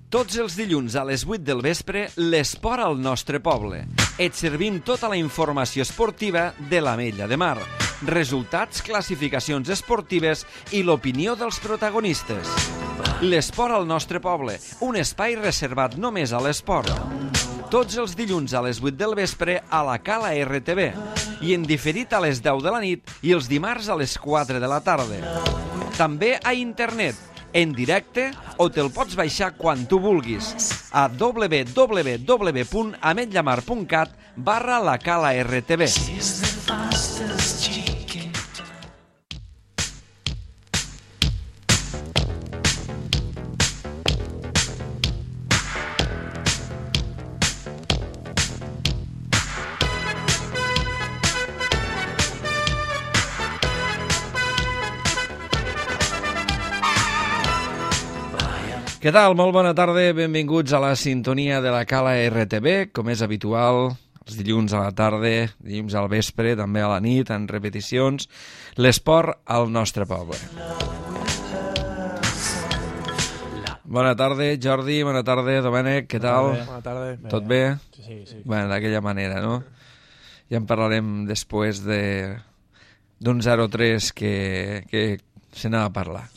Tots els dilluns a les 8 del vespre, l'esport al nostre poble. Et servim tota la informació esportiva de l'Ametlla de Mar. Resultats, classificacions esportives i l'opinió dels protagonistes. L'esport al nostre poble, un espai reservat només a l'esport. Tots els dilluns a les 8 del vespre a la Cala RTV i en diferit a les 10 de la nit i els dimarts a les 4 de la tarda. També a internet, en directe o te'l pots baixar quan tu vulguis a www.ametllamar.cat/la Cala RTV. Què tal? Molt bona tarda, benvinguts a la sintonia de la Cala RTV, com és habitual, els dilluns a la tarda, dilluns al vespre, també a la nit, en repeticions, l'esport al nostre poble. Bona tarda, Jordi, bona tarda, Domènec, què tal? Bona tarda. Tot bé? Sí. Bé, d'aquella manera, no? Ja en parlarem després d'un 0-3 que se n'ha a parlar.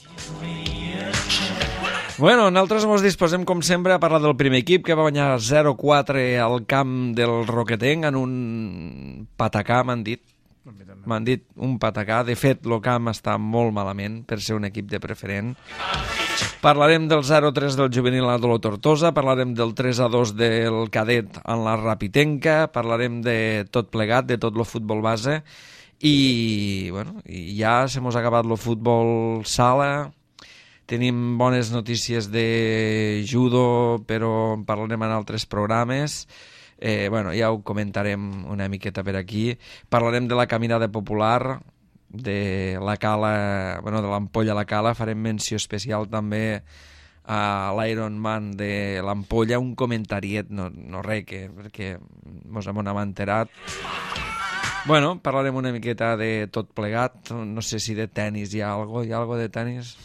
Bueno, nosaltres ens disposem, com sempre, a parlar del primer equip que va guanyar 0-4 al camp del Roquetenc en un patacà, m'han dit. M'han dit un patacà. De fet, el camp està molt malament per ser un equip de preferent. Parlarem del 0-3 del juvenil a Dolor Tortosa, parlarem del 3-2 del cadet en la Rapitenca, parlarem de tot plegat, de tot el futbol base, i bueno, ja se mos ha acabat el futbol sala. Tenim bones notícies de judo, però en parlarem en altres programes. Bueno, ja ho comentarem una miqueta per aquí. Parlarem de la caminada popular, de la Cala, bueno, de l'Ampolla a la Cala. Farem menció especial també a l'Ironman de l'Ampolla, un comentariet, no res, perquè mos hem enterat. Bueno, parlarem una miqueta de tot plegat. No sé si de tennis hi ha alguna cosa. Hi ha alguna cosa de tennis?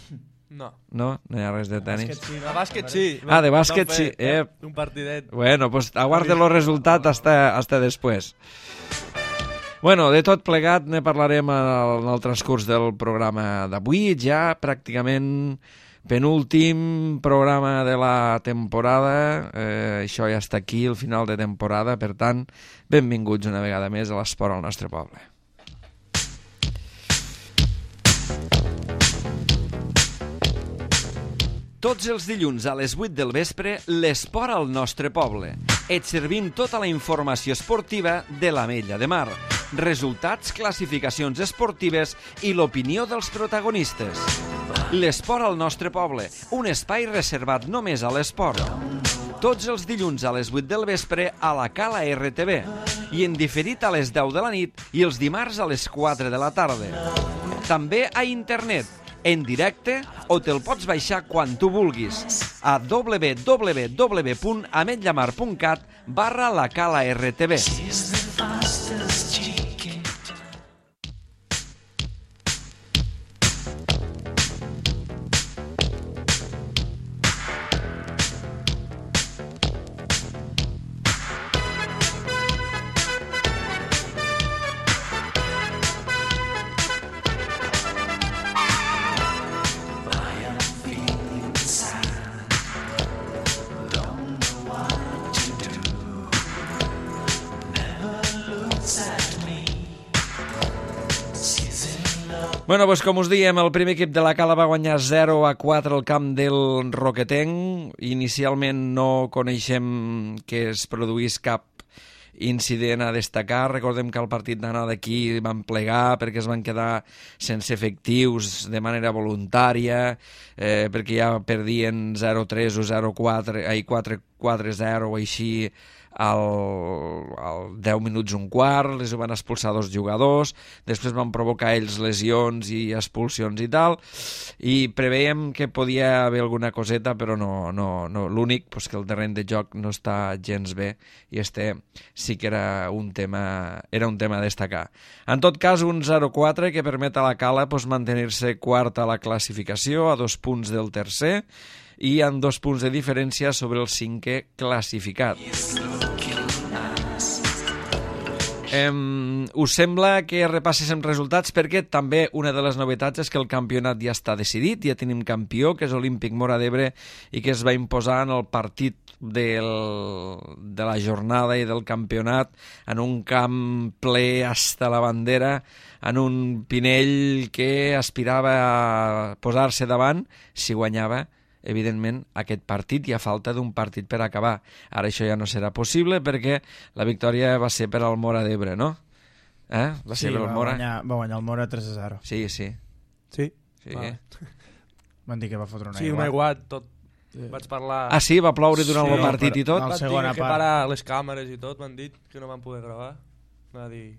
No. No? No hi ha res de tennis? De bàsquet sí. Ah, de bàsquet sí. Un partidet. Bueno, pues aguarde el resultat hasta després. Bueno, de tot plegat ne parlarem en el transcurs del programa d'avui, ja pràcticament penúltim programa de la temporada. Això ja està aquí, el final de temporada, per tant, benvinguts una vegada més a l'esport al nostre poble. Tots els dilluns a les 8 del vespre, l'esport al nostre poble. Et servim tota la informació esportiva de l'Ametlla de Mar. Resultats, classificacions esportives i l'opinió dels protagonistes. L'esport al nostre poble, un espai reservat només a l'esport. Tots els dilluns a les 8 del vespre a la Cala RTV i en diferit a les 10 de la nit i els dimarts a les 4 de la tarda. També a internet, en directe o te'l pots baixar quan tu vulguis a www.ametllamar.cat/la Cala RTV. Bueno, doncs com us diem, el primer equip de la Cala va guanyar 0-4 al camp del Roquetenc. Inicialment no coneixem que es produís cap incident a destacar. Recordem que al partit d'anada d'aquí van plegar perquè es van quedar sense efectius de manera voluntària, perquè ja perdien 0-3 o 4-0 o així al 10 minuts un quart, les van expulsar 2 jugadors, després van provocar ells lesions i expulsions i tal, i preveiem que podia haver alguna coseta, però no. L'únic pues, que el terreny de joc no està gens bé, i sí que era un tema a destacar. En tot cas, un 0-4 que permet a la Cala pues, mantenir-se quart a la classificació, a 2 punts del tercer, i amb 2 punts de diferència sobre el 5è classificat. Us sembla que repasséssim resultats? Perquè també una de les novetats és que el campionat ja està decidit, ja tenim campió, que és Olímpic Móra d'Ebre, i que es va imposar en el partit de la jornada i del campionat en un camp ple hasta la bandera, en un Pinell que aspirava a posar-se davant si guanyava evidentment, aquest partit i a falta d'un partit per acabar. Ara això ja no serà possible perquè la victòria va ser per al Móra d'Ebre, no? Va ser per al Móra? Va guanyar el Móra 3-0. Sí. Sí? Vale. Van dir que va fotre un aiguat, tot. Vaig parlar... Ah, sí? Va ploure durant el partit i tot? La Van segona dir que part. parar les càmeres i tot, m'han dit que no van poder gravar. Va dir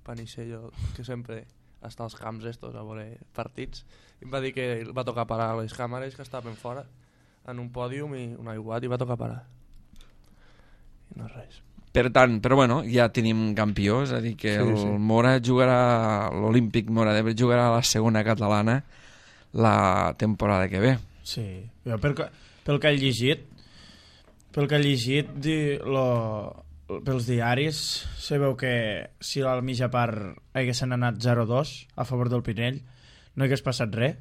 Panissello, que sempre està als camps estos a veure partits, i em va dir que va tocar parar les càmeres que estaven fora en un pòdium i un aiguat i va tocar parar i no res. Per tant, però bueno, ja tenim campió, és a dir que el Móra jugarà, l'Olímpic Móra d'Ebre jugarà a la segona catalana la temporada que ve. Sí, jo pel que he llegit pels diaris se veu que si a la mitja part haguessin anat 0-2 a favor del Pinell no hagués passat res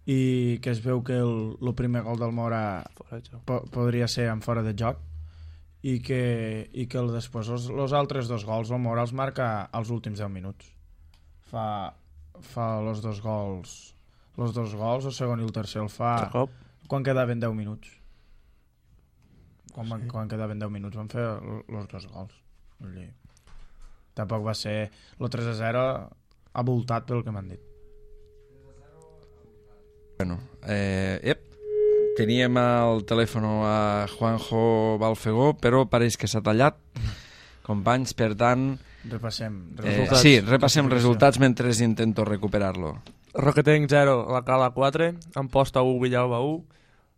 i que es veu que el primer gol del Móra podria ser en fora de joc i que després els altres 2 gols el Móra els marca als últims 10 minuts, fa els dos gols, el segon i el tercer el fa quan quedaven 10 minuts. Quan quedaven 10 minuts van fer els 2 gols. Tampoc va ser el 3-0 avoltat pel que m'han dit. Bueno, teníem al telèfon a Juanjo Balfegó, però pareix que s'ha tallat. Companys, per tant... Repassem resultats. Sí, repassem resultats mentre intento recuperar-lo. Roquetenc 0, la Cala 4, Amposta 1, Villalba 1,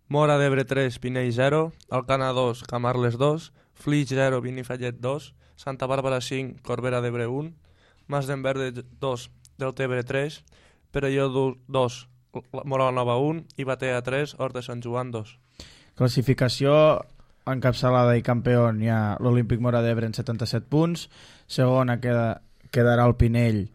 Móra d'Ebre 3, Pinell 0, Alcana 2, Camarles 2, Flix 0, Benifallet 2, Santa Bàrbara 5, Corbera d'Ebre 1, Mas d'Enverde 2, Deltebre 3, Perelló 2, Móra Nova 1 i Batea 3, Hort de Sant Joan 2. Classificació encapçalada i campió hi ha l'Olímpic Móra d'Ebre en 77 punts, segona quedarà el Pinell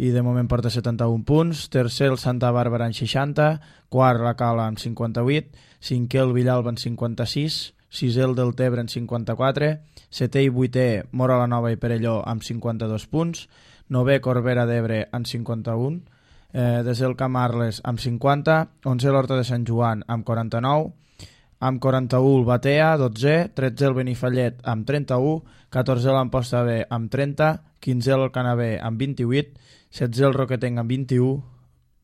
i de moment porta 71 punts, tercer el Santa Bàrbara en 60, quart la Cala amb 58, cinquè el Villalba en 56, sisè el Deltebre en 54, setè i vuitè Móra la Nova i Perelló amb 52 punts, novè Corbera d'Ebre en 51, desè el Camarles amb 50, 11è l'Horta de Sant Joan amb 49, amb 41 el Batea, 12è, 13è el Benifallet amb 31, 14è l'Amposta B amb 30, 15è el Canabé amb 28, 16è el Roquetenc amb 21,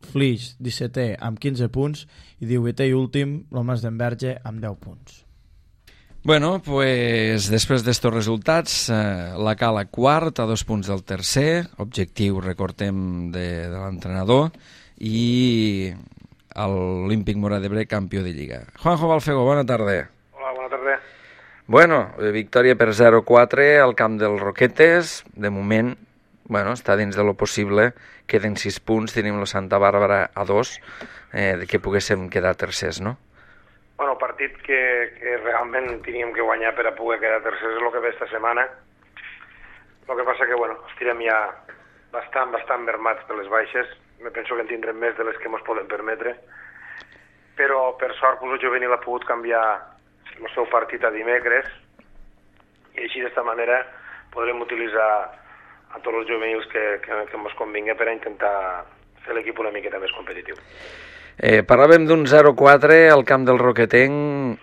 Flix 17è amb 15 punts i 18è i últim el Mas d'Enverge amb 10 punts. Bueno, pues després d'estos resultats, la Cala quart a 2 punts del tercer, objectiu, recordem, de l'entrenador, i l'Olímpic Móra d'Ebre campió de Lliga. Juanjo Balfegó, bona tarda. Hola, bona tarda. Bueno, victòria per 0-4 al camp dels Roquetes, de moment, bueno, està dins de lo possible, queden 6 punts, tenim la Santa Bàrbara a 2, que poguéssim quedar tercers, no? Bueno, partit que realment teníem que guanyar per a poder quedar tercers és el que ve esta setmana. El que passa que, bueno, estirem ja bastant mermats per les baixes. Me penso que en tindrem més de les que ens poden permetre. Però, per sort, el juvenil ha pogut canviar el seu partit a dimecres i així d'esta manera podrem utilitzar a tots els juvenils que ens convingui per a intentar fer l'equip una miqueta més competitiu. Parlàvem d'un 0-4 al camp del Roquetenc.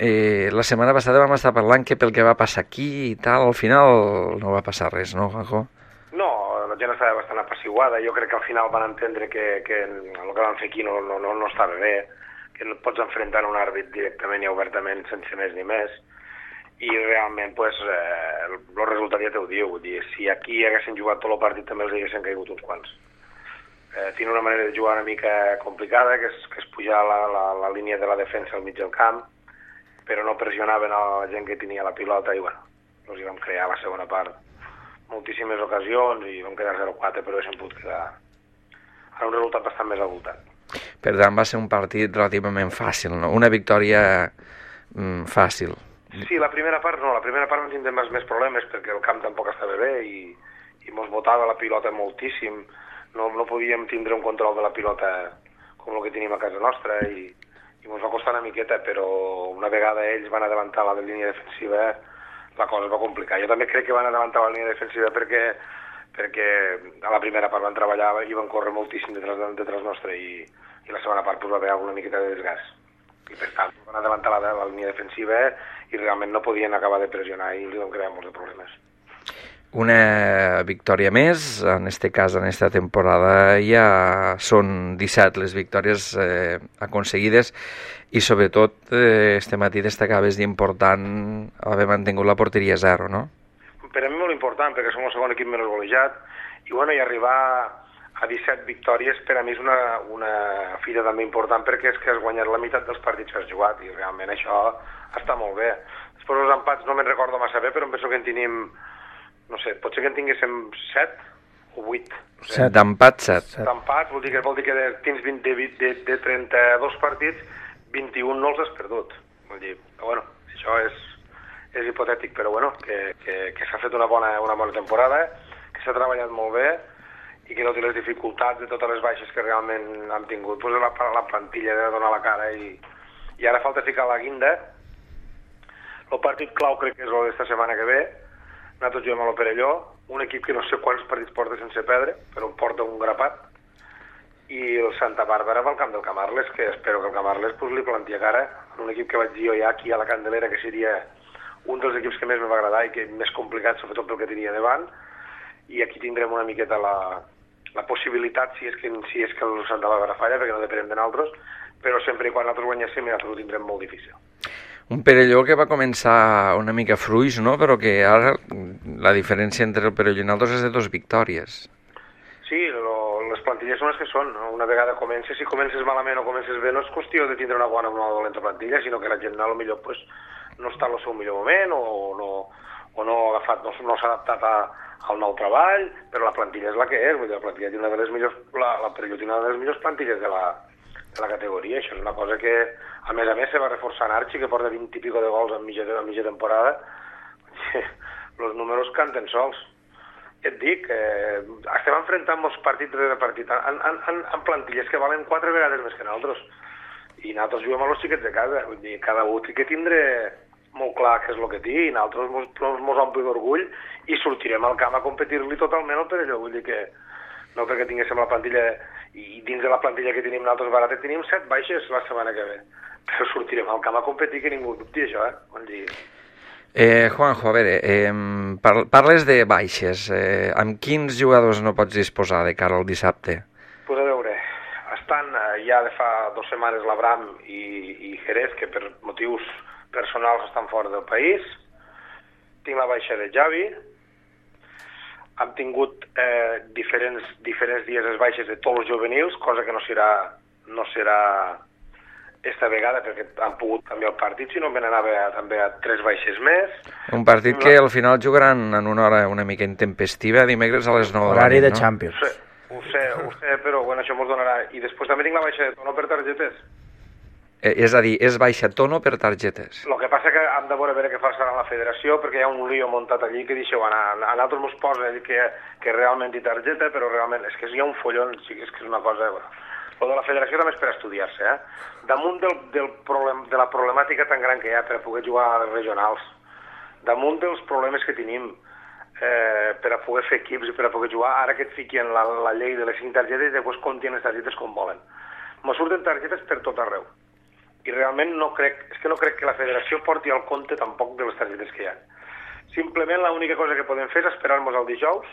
La setmana passada vam estar parlant que pel que va passar aquí i tal, al final no va passar res, no, Juanjo? No, la gent estava bastant apaciguada. Jo crec que al final van entendre que el que van fer aquí no estava bé, que no et pots enfrontar a un àrbit directament i obertament sense més ni més. I realment pues, el resultat ja t'ho diu. Vull dir, si aquí haguessin jugat tot el partit també els haguessin caigut uns quants. Tiene una manera de jugar una mica complicada, que és pujar la línia de la defensa al mig del camp, però no pressionaven a la gent que tenia la pilota i bueno, els hi vam crear a la segona part moltíssimes ocasions i vam quedar 0-4, però haguéssim pogut quedar a un resultat bastant més avoltat. Per tant, va ser un partit relativament fàcil, no? Una victòria fàcil. Sí, la primera part no, la primera part vam tindre més problemes perquè el camp tampoc estava bé i mos botava la pilota moltíssim, no podíem tindre un control de la pilota com el que tenim a casa nostra i mos va costar una miqueta, però una vegada ells van adelantar la línia defensiva la cosa es va complicar. Jo també crec que van adelantar la línia defensiva perquè a la primera part van treballar i van córrer moltíssim detrás nostre i la segona part va haver alguna miqueta de desgast. I per tant van adelantar la línia defensiva i realment no podien acabar de pressionar i li van crear molts de problemes. Una victòria més, en este cas, en esta temporada ja són 17 les victòries aconseguides i sobretot este matí destacaves d'important haver mantingut la porteria 0, no? Per a mi molt important perquè som el segon equip menys golejat i arribar a 17 victòries per a mi és una fita també important perquè és que has guanyat la meitat dels partits que has jugat i realment això està molt bé. Després els empats no me'n recordo massa bé, però em penso que en tenim, no sé, potser que en tinguéssim 7 o 8. No sé. D'empat 7. D'empats vol dir que tens de 32 partits, 21 no els has perdut. Vol dir, bueno, això és hipotètic, però bueno, que s'ha fet una bona temporada, que s'ha treballat molt bé i que no té les dificultats de totes les baixes que realment han tingut. Pues la plantilla de donar la cara i ara falta ficar la guinda. El partit clau crec que és el d'esta setmana que ve. Nosaltres juguem a l'Operelló, un equip que no sé quants partits porta sense perdre, però porta un grapat. I el Santa Bàrbara va al camp del Camarles, que espero que el Camarles li planti a cara. Un equip que vaig dir jo ja aquí a la Candelera, que seria un dels equips que més me va agradar i que més complicat, sobretot pel que tenia davant. I aquí tindrem una miqueta la possibilitat, si és que el Santa Bàrbara falla, perquè no depenem de nosaltres, però sempre i quan nosaltres guanyéssim nosaltres ho tindrem molt difícil. Un Perelló que va començar una mica fluix, no? Però que ara la diferència entre el Perelló i nosaltres és de 2 victòries. Sí, les plantilles són les que són. No? Una vegada comences, si comences malament o comences bé, no és qüestió de tindre una bona o una dolenta plantilla, sinó que la gent potser pues, no està en el seu millor moment o no ha agafat, no s'ha adaptat al nou treball, però la plantilla és la que és. Vull dir, la plantilla té una de les millors, la Perelló té una de les millors plantilles de la categoria. Això és una cosa que, a més, se va reforçar en Archi, que porta 20 i pico de gols en mitja temporada. Els números canten sols. Et dic, estem enfrontant molts partits rere partit en plantilles que valen 4 vegades més que nosaltres. I nosaltres juguem a los xiquets de casa. Vull dir, cada un té que tindre molt clar què és el que té i nosaltres mos ompli d'orgull i sortirem al camp a competir-li totalment al Perelló. Vull dir que no perquè tinguéssim la plantilla i dins de la plantilla que tenim nosaltres barata tenim 7 baixes la setmana que ve. Però sortirem al camp a competir, que ningú dubti això, Vull dir... Juanjo, a veure, parles de baixes. Amb quins jugadors no pots disposar de cara al dissabte? Pues a veure, estan ja de fa 2 setmanes l'Abram i Jerez, que per motius personals estan fora del país. Tinc la baixa de Javi. Hem tingut diferents dies les baixes de tots els juvenils, cosa que no serà esta vegada, perquè han pogut canviar el partit, si no me n'anava també a 3 baixes més. Un partit que al final jugaran en una hora una mica intempestiva, dimecres a les 9 de la nit, horari de no? Champions. Ho sé, però bueno, això mos donarà. I després també tinc la baixa de Tono per targetes. És a dir, és baixa Tono per targetes. El que passa que hem de veure què farà la federació, perquè hi ha un lío muntat allí que deixeu anar. A nosaltres mos posa que realment hi targeta, però realment és que hi ha un follon, sí, és que és una cosa... Bueno, el de la federació també és per estudiar-se, Damunt de la problemàtica tan gran que hi ha per a poder jugar a les regionals, damunt dels problemes que tenim per a poder fer equips i per a poder jugar, ara que et fiquen la llei de les 5 targetes i després compten les targetes com volen. Me surten targetes per tot arreu. I realment no crec que la federació porti al compte tampoc de les targetes que hi ha. Simplement l'única cosa que podem fer és esperar-nos el dijous,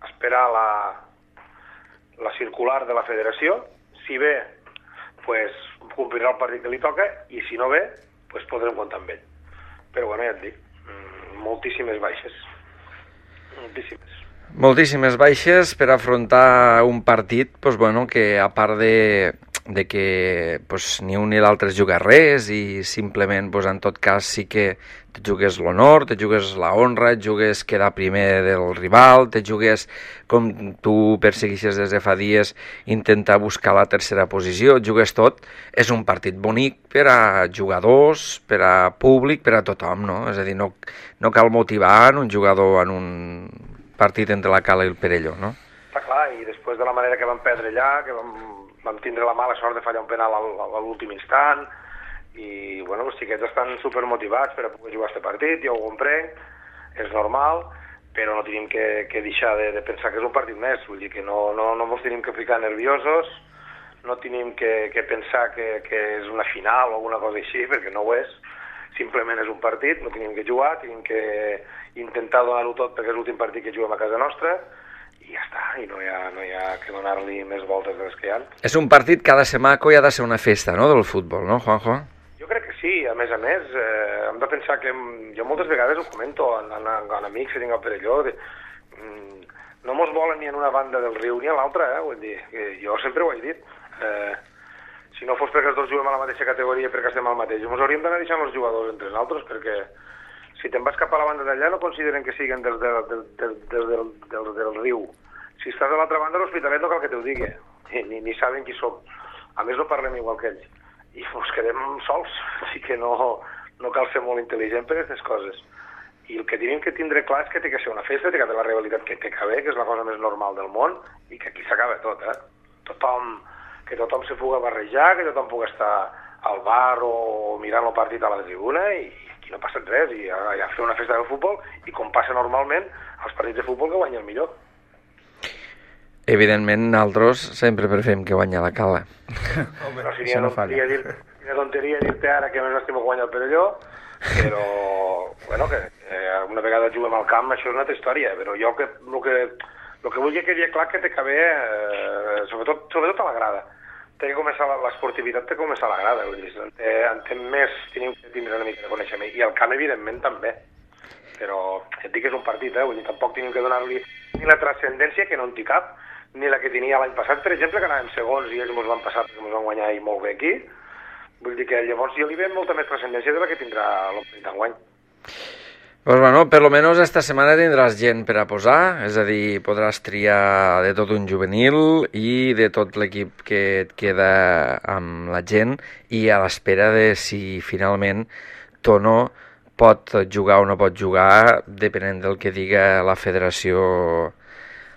esperar la circular de la federació. Si bé, pues, complirà el partit que li toca, i si no ve, pues, podrem comptar amb ell. Però bueno, ja et dic, moltíssimes baixes. Moltíssimes baixes per afrontar un partit pues, bueno, que a part de de que pues, ni un ni l'altre es juga res i simplement pues, en tot cas sí que te jugues l'honor, te jugues la honra, et jugues quedar primer del rival, te jugues, com tu perseguixes des de fa dies, intentar buscar la tercera posició, et jugues tot. És un partit bonic per a jugadors, per a públic, per a tothom, no? És a dir, no cal motivar en un jugador en un partit entre la Cala i el Perelló, no? Està clar, i després de la manera que vam perdre allà, que vam tindre la mala sort de fallar un penal a l'últim instant, i bueno, els xiquets estan supermotivats per a poder jugar aquest partit, jo ho comprenc, és normal, però no tenim que deixar de pensar que és un partit més, vull dir que no ens tenim que ficar nerviosos, no tenim que pensar que és una final o alguna cosa així, perquè no ho és, simplement és un partit, no tenim que jugar, tenim que intentar donar-ho tot perquè és l'últim partit que juguem a casa nostra, i ja està, i no hi ha que donar-li més voltes de les que hi ha. És un partit que ha de ser maco i ha de ser una festa, no?, del futbol, no, Juanjo? Jo crec que sí, a més, hem de pensar que jo moltes vegades ho comento en amics que tinc al Perelló, no mos volen ni en una banda del riu ni a l'altra, vull dir, jo sempre ho he dit, si no fos perquè els dos juguem a la mateixa categoria perquè estem al mateix, ens hauríem d'anar deixant els jugadors entre nosaltres, perquè si te'n vas cap a la banda d'allà no consideren que siguin del riu. Si estàs a l'altra banda, l'Hospitalet no cal que t'ho digui, ni saben qui som. A més, no parlem igual que ells. I ens quedem sols, així que no cal ser molt intel·ligent per aquestes coses. I el que tenim que tindre clar és que té que ser una festa, té que haver la rivalitat que té que haver, que és la cosa més normal del món, i que aquí s'acaba tot, que tothom se puga barrejar, que tothom pugui estar al bar o mirant el partit a la tribuna, i aquí no passa res, i a fer una festa del futbol, i com passa normalment, els partits de futbol que guanya el millor. Evidentment, nosaltres sempre preferim que guanya la Cala. Home, no seria una tonteria dir-te ara que més estem guanyant el Perelló, però, bueno, que una vegada juguem al camp, això és una altra història, però jo el que vull que quedi clar que té que haver, sobretot a la grada, té que començar l'esportivitat, té que començar a la grada, vull dir, entenc més, tenim que tindre una mica de coneixement, i el camp, evidentment, també, però et dic que és un partit, vull dir, tampoc tenim que donar-li ni la transcendència, que no en té cap, ni la que tenia l'any passat, per exemple, que anàvem segons i ells ens van passar perquè ens van guanyar i molt bé aquí. Vull dir que llavors jo li veig molta més transcendència de la que tindrà l'Omplit d'enguany. Pues bueno, per lo menos esta setmana tindràs gent per a posar, és a dir, podràs triar de tot un juvenil i de tot l'equip que et queda amb la gent i a l'espera de si finalment Tono pot jugar o no pot jugar, depenent del que diga la Federació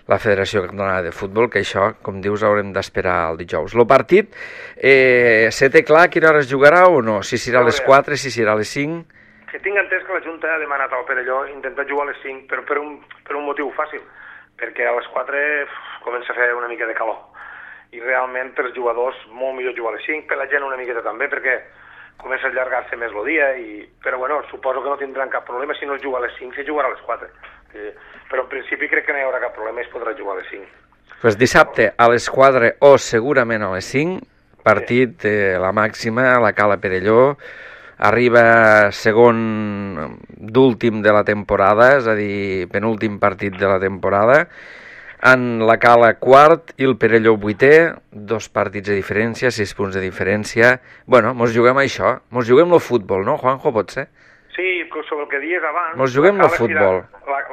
Catalana de Futbol, que això, com dius, haurem d'esperar el dijous. El partit, se té clar a quina hora es jugarà o no? Si serà a les 4, si serà a les 5? Que tinc entès que la Junta ha demanat al Perelló intentar jugar a les 5, però per un motiu fàcil, perquè a les 4 comença a fer una mica de calor. I realment per als jugadors molt millor jugar a les 5, per la gent una miqueta també, perquè comença a allargar-se més el dia, però bueno, suposo que no tindran cap problema si no es juga a les 5, se jugarà a les 4. Però en principi crec que no hi haurà cap problema i es podrà jugar a les 5. Pues dissabte a les 4 o segurament a les 5, partit la màxima a la Cala Perelló, arriba segon d'últim de la temporada, és a dir, penúltim partit de la temporada, en la Cala quart i el Perelló vuitè, 2 partits de diferència, 6 punts de diferència. Bueno, mos juguem això, mos juguem el futbol, no, Juanjo, pot ser? Sí, sobre el que dies abans... Mos juguem el futbol.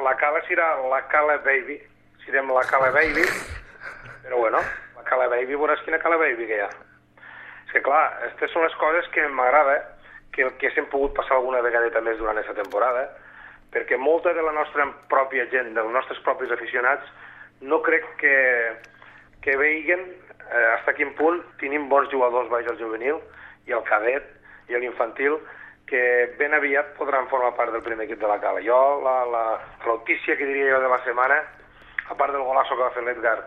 La Cala serà la Cala Baby, serem la Cala Baby, però bueno, la Cala Baby, veuràs quina Cala Baby que hi ha. És que clar, aquestes són les coses que m'agrada, que hem pogut passar alguna vegadeta més durant aquesta temporada, perquè molta de la nostra pròpia gent, dels nostres propis aficionats, no crec que veiguen fins a quin punt tenim bons jugadors baix al juvenil i al cadet i a l'infantil que ben aviat podran formar part del primer equip de la Cala. Jo, la notícia que diria jo de la setmana, a part del golasso que va fer l'Edgar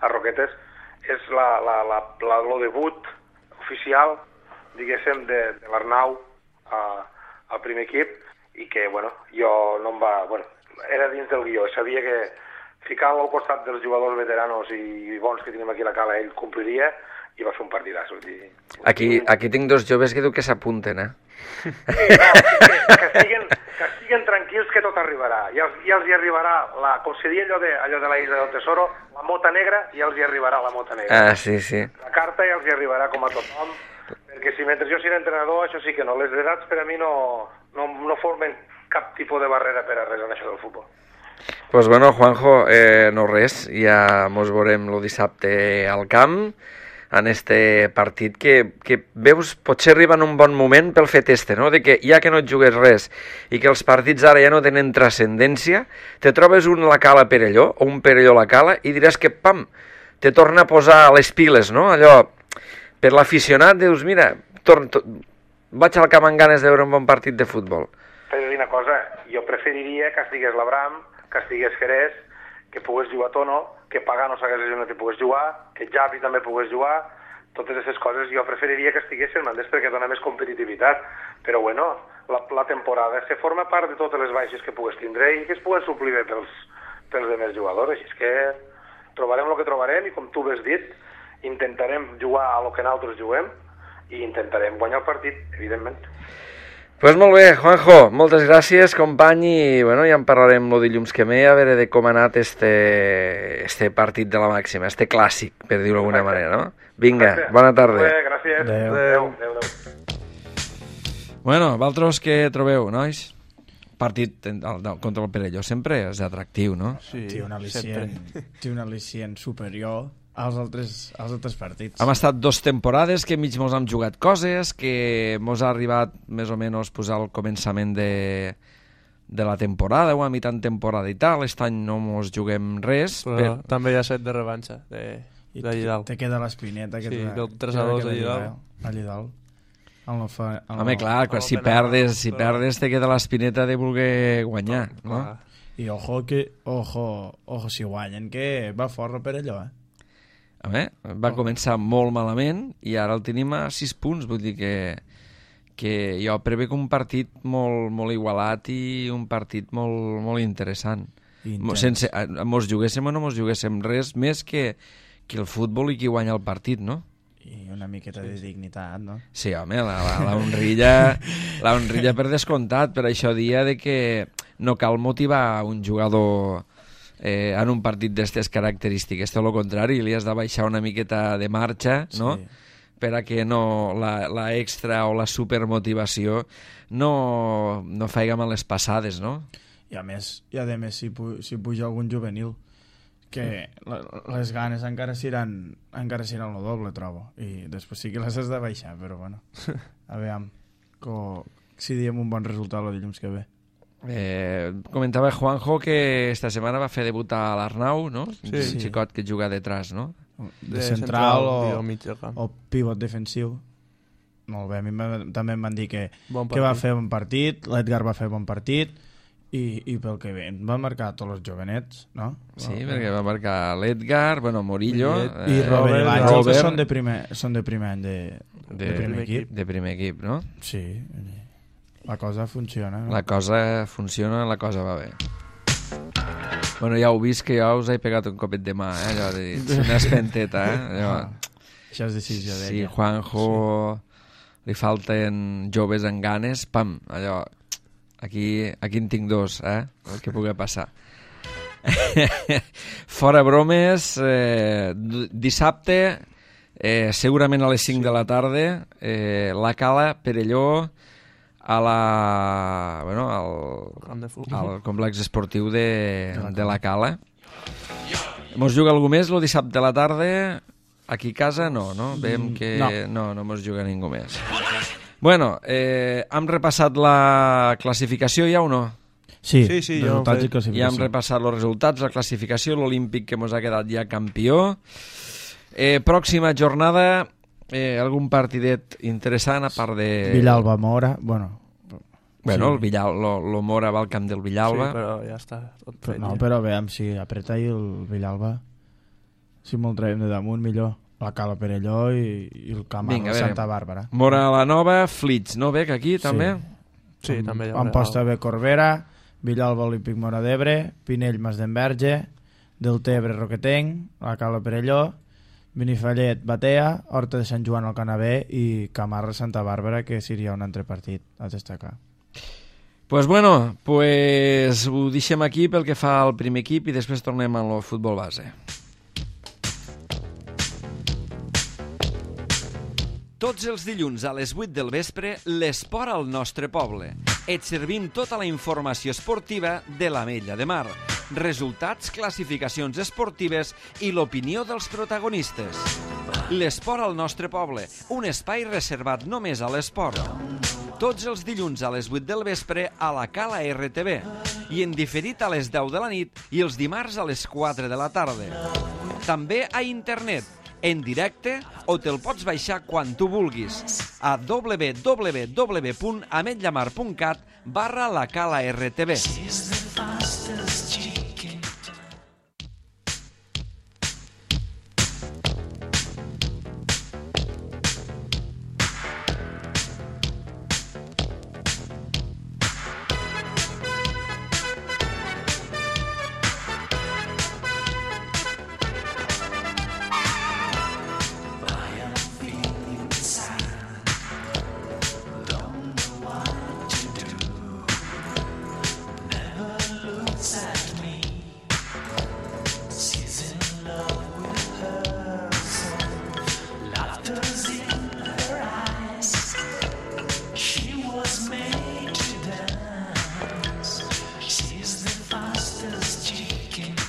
a Roquetes, és el debut oficial, diguéssim, de l'Arnau al primer equip i que, bueno, jo no em va... Bueno, era dins del guió, sabia que ficar-lo al costat dels jugadors veteranos i bons que tenim aquí a la Cala, ell compliria i va fer un partidàs. Aquí tinc 2 joves que diu que s'apunten, Sí, no, que que estiguen tranquils que tot arribarà. Ja els hi arribarà, com se diu allò de la Isla del Tesoro, la mota negra, ja els hi arribarà la mota negra. Ah, sí, sí. La carta ja els hi arribarà com a tothom, perquè si mentre jo sigui entrenador, això sí que no. Les edats per a mi no formen cap tipus de barrera per a res en això del futbol. Pues bueno, Juanjo, no res, ja mos veurem el dissabte al camp, en este partit que veus, potser arriba en un bon moment pel fet no? De que ja que no et jugues res i que els partits ara ja no tenen transcendència, te trobes un la cala Perelló o un Perelló la cala i diràs que, pam, te torna a posar les piles, no? Allò, per l'aficionat, dius, mira, vaig al camp amb ganes de veure un bon partit de futbol. T'he de dir una cosa, jo preferiria que estigués l'Abram, que estigués Jerez, que pogués jugar Tono, que Pagano s'hagués lesionat i pogués jugar, que Javi també pogués jugar, totes aquestes coses jo preferiria que estiguessin mandés perquè dona més competitivitat, però bueno, la temporada se forma part de totes les baixes que pogués tindre i que es puguen suplir bé pels demés jugadors, així és que trobarem el que trobarem i com tu has dit, intentarem jugar a lo que nosaltres juguem i intentarem guanyar el partit, evidentment. Pues molt bé, Juanjo, moltes gràcies, company, i bueno, ja en parlarem el dilluns que ve, a veure de com ha anat este partit de la màxima, este clàssic, per dir-ho d'alguna manera, no? Vinga, bona tarda. Bé, gràcies. Adéu. Bueno, vosaltres què trobeu, nois? Partit contra el Perelló sempre és atractiu, no? Sí, té un al·licient superior als altres partits. Hem estat 2 temporades que mig mos hem jugat coses, que mos ha arribat més o menys posar el començament de la temporada o a mitjan temporada i tal. Aquest any no mos juguem res. Però també hi ha set de revanxa de Llidal. Te queda l'espineta. Sí, del 3-2 a Llidal. A Llidal. Home, clar, si perdes te queda l'espineta de voler guanyar, no? I ojo, si guanyen, que va fort per allò, Home, va començar molt malament i ara el tenim a 6 punts, vull dir que jo prevec un partit molt, molt igualat i un partit molt, molt interessant. Sense, mos juguéssim o no mos juguéssim res més que el futbol i qui guanya el partit, no? I una miqueta de dignitat, no? Sí, home, la honrilla per descomptat, per això dia de que no cal motivar un jugador en un partit d'aquestes característiques, tot el contrari, li has de baixar una miqueta de marxa, no? Sí. Per a que no la extra o la supermotivació no faiga males passades, no? I a més si puja algun juvenil, que les ganes encara seran el doble, trobo, i després sí que les has de baixar, però bueno, a veure si diem un bon resultat el dilluns que ve. Comentava Juanjo que esta setmana va fer debut a l'Arnau, no? Sí. Un xicot que juga detrás, no? De central o pivot defensiu. Molt bé, a mi també em van dir que va fer bon partit, l'Edgar va fer bon partit i pel que ve va marcar tots els jovenets, no? Sí, perquè va marcar l'Edgar, Morillo i Robert i l'Àngel, són de primer any de primer equip, no? Sí, la cosa funciona. La cosa funciona, la cosa va bé. Bueno, ja heu vist que jo us he pegat un copet de mà, allò de dir, una espenteta, Això és decisió d'ella. Si Juanjo li falten joves amb ganes, pam, allò, aquí en tinc 2, el que pugui passar. Fora bromes, dissabte, segurament a les 5 de la tarda, la Cala, Perelló, al complex esportiu de la Cala. Mos juga algú més el dissabte a la tarda? Aquí a casa no? Veiem que no mos juga ningú més. Bueno, hem repassat la classificació ja o no? Sí, resultats i classificació. Ja hem repassat els resultats, la classificació, l'Olímpic que mos ha quedat ja campió. Pròxima jornada, algun partidet interessant a part de... Villalba-Mora, el Mora va al camp del Villalba. Sí, però ja està tot fet. Però veiem si apreta i el Villalba, si me'l traiem de damunt, millor. La Cala Perelló i el camp de Santa Bàrbara. Mora la Nova, Flits, no? Bec aquí, també? Sí, també hi ha. Amposta B, Corbera, Villalba, Olímpic Mora d'Ebre, Pinell, Masdenverge, Deltebre, Roquetenc, la Cala Perelló, Benifallet, Batea, Horta de Sant Joan al Canavè i Camarra, Santa Bàrbara, que seria un altre partit a destacar. Pues bueno, ho deixem aquí pel que fa al primer equip i després tornem al futbol base. Tots els dilluns a les 8 del vespre, l'esport al nostre poble. Et servim tota la informació esportiva de l'Ametlla de Mar, resultats, classificacions esportives i l'opinió dels protagonistes. L'esport al nostre poble, un espai reservat només a l'esport. Tots els dilluns a les 8 del vespre a la Cala RTV i en diferit a les 10 de la nit i els dimarts a les 4 de la tarda. També a internet, en directe, o te'l pots baixar quan tu vulguis a www.ametllamar.cat/la Cala RTV.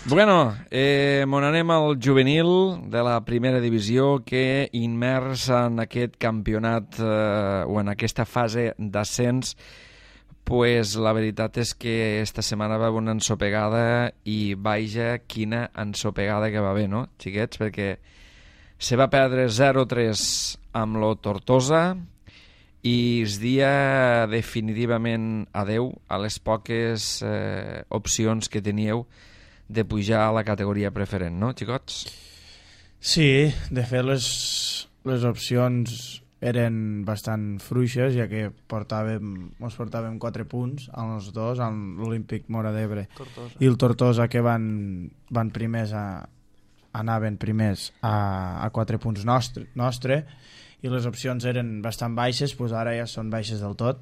Bueno, mon anem al juvenil de la primera divisió que immers en aquest campionat o en aquesta fase d'ascens, pues la veritat és que esta setmana va haver una ensopegada i vaja quina ensopegada que va haver, no, xiquets? Perquè se va perdre 0-3 amb lo Tortosa i es dia definitivament adeu a les poques opcions que teníeu de pujar a la categoria preferent, no, xicots? Sí, de fet les opcions eren bastant fluixes, ja que ens portàvem 4 punts als dos, amb l'Olímpic Móra d'Ebre i el Tortosa, que van primers anaven primers a 4 punts nostre, i les opcions eren bastant baixes, doncs ara ja són baixes del tot,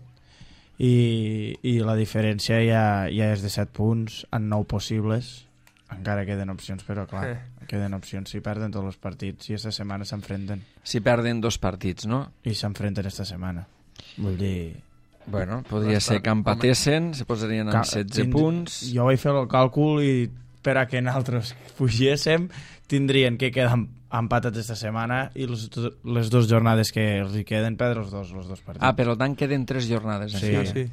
i la diferència ja és de 7 punts en 9 possibles. Encara queden opcions, però clar, queden opcions si perden tots els partits i aquesta setmana s'enfrenten. Si perden 2 partits, no? I s'enfrenten aquesta setmana. Vull dir... Bueno, podria ser que empatessin, se posarien amb 16 punts... Jo vaig fer el càlcul i per a que nosaltres pugéssim tindrien que quedar empatats aquesta setmana i les 2 jornades que els hi queden perdre els dos partits. Ah, per tant queden 3 jornades. Sí. Sí.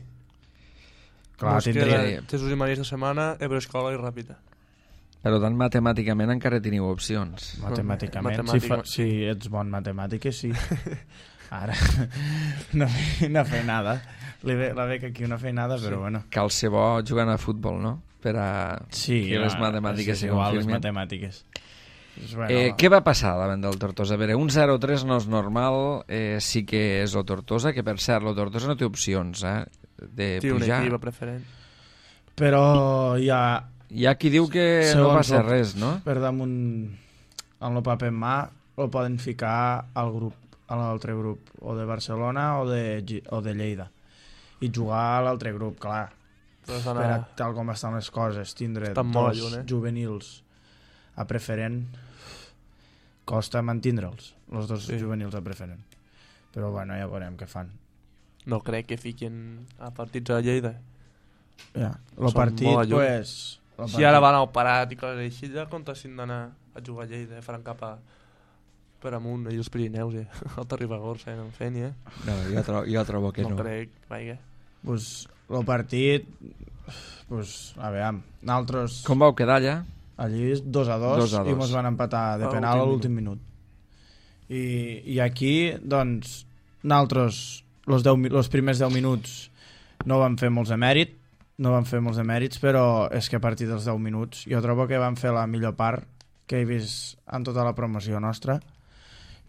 Clar, tindria... Jesús i Maria esta setmana, Ebre Escola i Ràpita. Per tant, matemàticament encara teniu opcions. Matemàticament. Si ets bon matemàtiques, sí. Ara no fer nada. La beca aquí no fer nada, però bueno. Cal ser bo jugant a futbol, no? Per a que les matemàtiques se confirmin. Les matemàtiques. Què va passar davant del Tortosa? A veure, un 0-3 no és normal, sí que és el Tortosa, que per cert, el Tortosa no té opcions de pujar. Té un equip preferent. Però hi ha qui diu que no passa res, no? Per damunt, amb el paper en mà, el poden ficar al grup, a l'altre grup, o de Barcelona o de Lleida. I jugar a l'altre grup, clar. Tal com estan les coses, tindre 2 juvenils a preferent costa mantindre'ls, els 2 juvenils a preferent. Però bueno, ja veurem què fan. No crec que fiquin a partits a Lleida. Ja, el partit, pues... Si ara van al Parat i coses així, ja comptessin d'anar a jugar a Lleida, faran cap a per amunt, i els Pirineus, Alta Ribagorça, no en fent, No, jo trobo que no. No crec, vaja. Pues el partit, a veure, nosaltres... Com vau quedar allà? Allí 2-2 i ens van empatar de penal a l'últim minut. I aquí, doncs, nosaltres, els primers 10 minuts no vam fer molts de mèrits, però és que a partir dels 10 minuts jo trobo que vam fer la millor part que he vist en tota la promoció nostra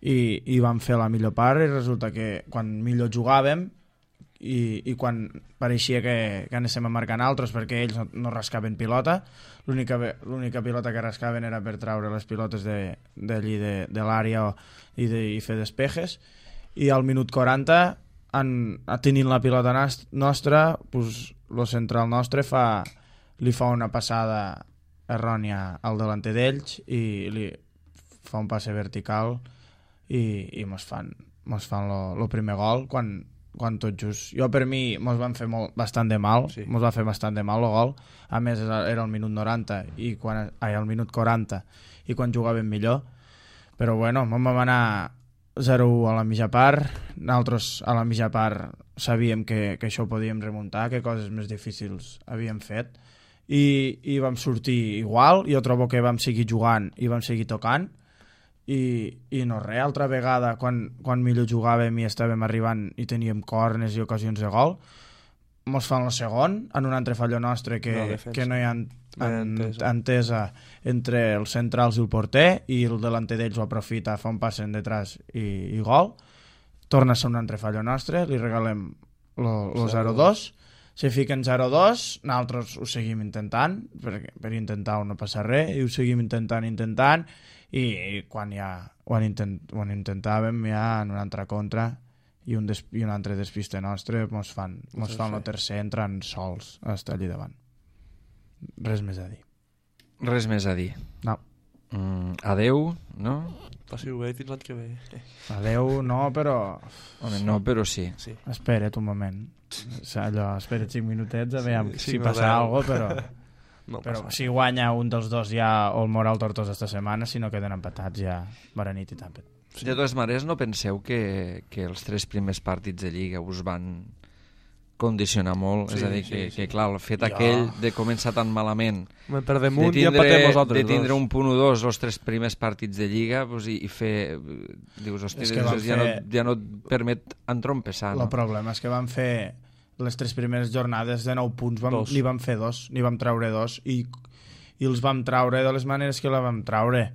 i vam fer la millor part i resulta que quan millor jugàvem i quan pareixia que anéssim a marcar altres perquè ells no rascaven pilota, l'única pilota que rascaven era per treure les pilotes d'allí de l'àrea i fer despejes, i al minut 40 tenint la pilota nostra, pues, lo central nostre li fa una passada errònia al delanter d'ells i li fa un passe vertical i mos fan lo primer gol quan tot just. Jo, per mi, mos van fer bastant de mal, mos va fer bastant de mal el gol. A més, era el minut 90 el minut 40 i quan jugàvem millor. Però bueno, vam anar 0-1 a la mitja part. Nosaltres a la mitja part sabíem que això ho podíem remuntar, que coses més difícils havíem fet i vam sortir igual. Jo trobo que vam seguir jugant i vam seguir tocant i no res, altra vegada quan millor jugàvem i estàvem arribant i teníem corners i ocasions de gol, mos fan el segon en un altre fallo nostre que no hi ha entesa entre els centrals i el porter i el delanter d'ells ho aprofita, fa un passe en detrás i gol. Torna a ser un altre fallo nostre, li regalem el 0-2, se fiquen 0-2, nosaltres ho seguim intentant per intentar no passar res i ho seguim intentant i quan ja ho intentàvem ja en una altra contra i un altre despiste nostre mos fan el tercer entrant sols a estar allà davant. Res més a dir. Res més a dir. No. Adeu, no? Passi-ho bé fins l'any que ve. Adeu, no, però... Home, no, però sí. Espera't un moment. Espera't 5 minutets a veure si passa alguna cosa, però si guanya un dels dos ja o el Moral Tortosa esta setmana, si no queden empatats ja bona nit i tàmpet. De totes maneres, no penseu que els 3 primers partits de Lliga us van condicionar molt, és a dir, que clar, el fet aquell de començar tan malament, de tindre un punt o dos els 3 primers partits de Lliga i fer, dius, hòstia, ja no et permet entrompessar. El problema és que van fer les 3 primeres jornades de 9 punts, n'hi vam fer 2, n'hi vam treure 2 i els vam treure de les maneres que la vam treure.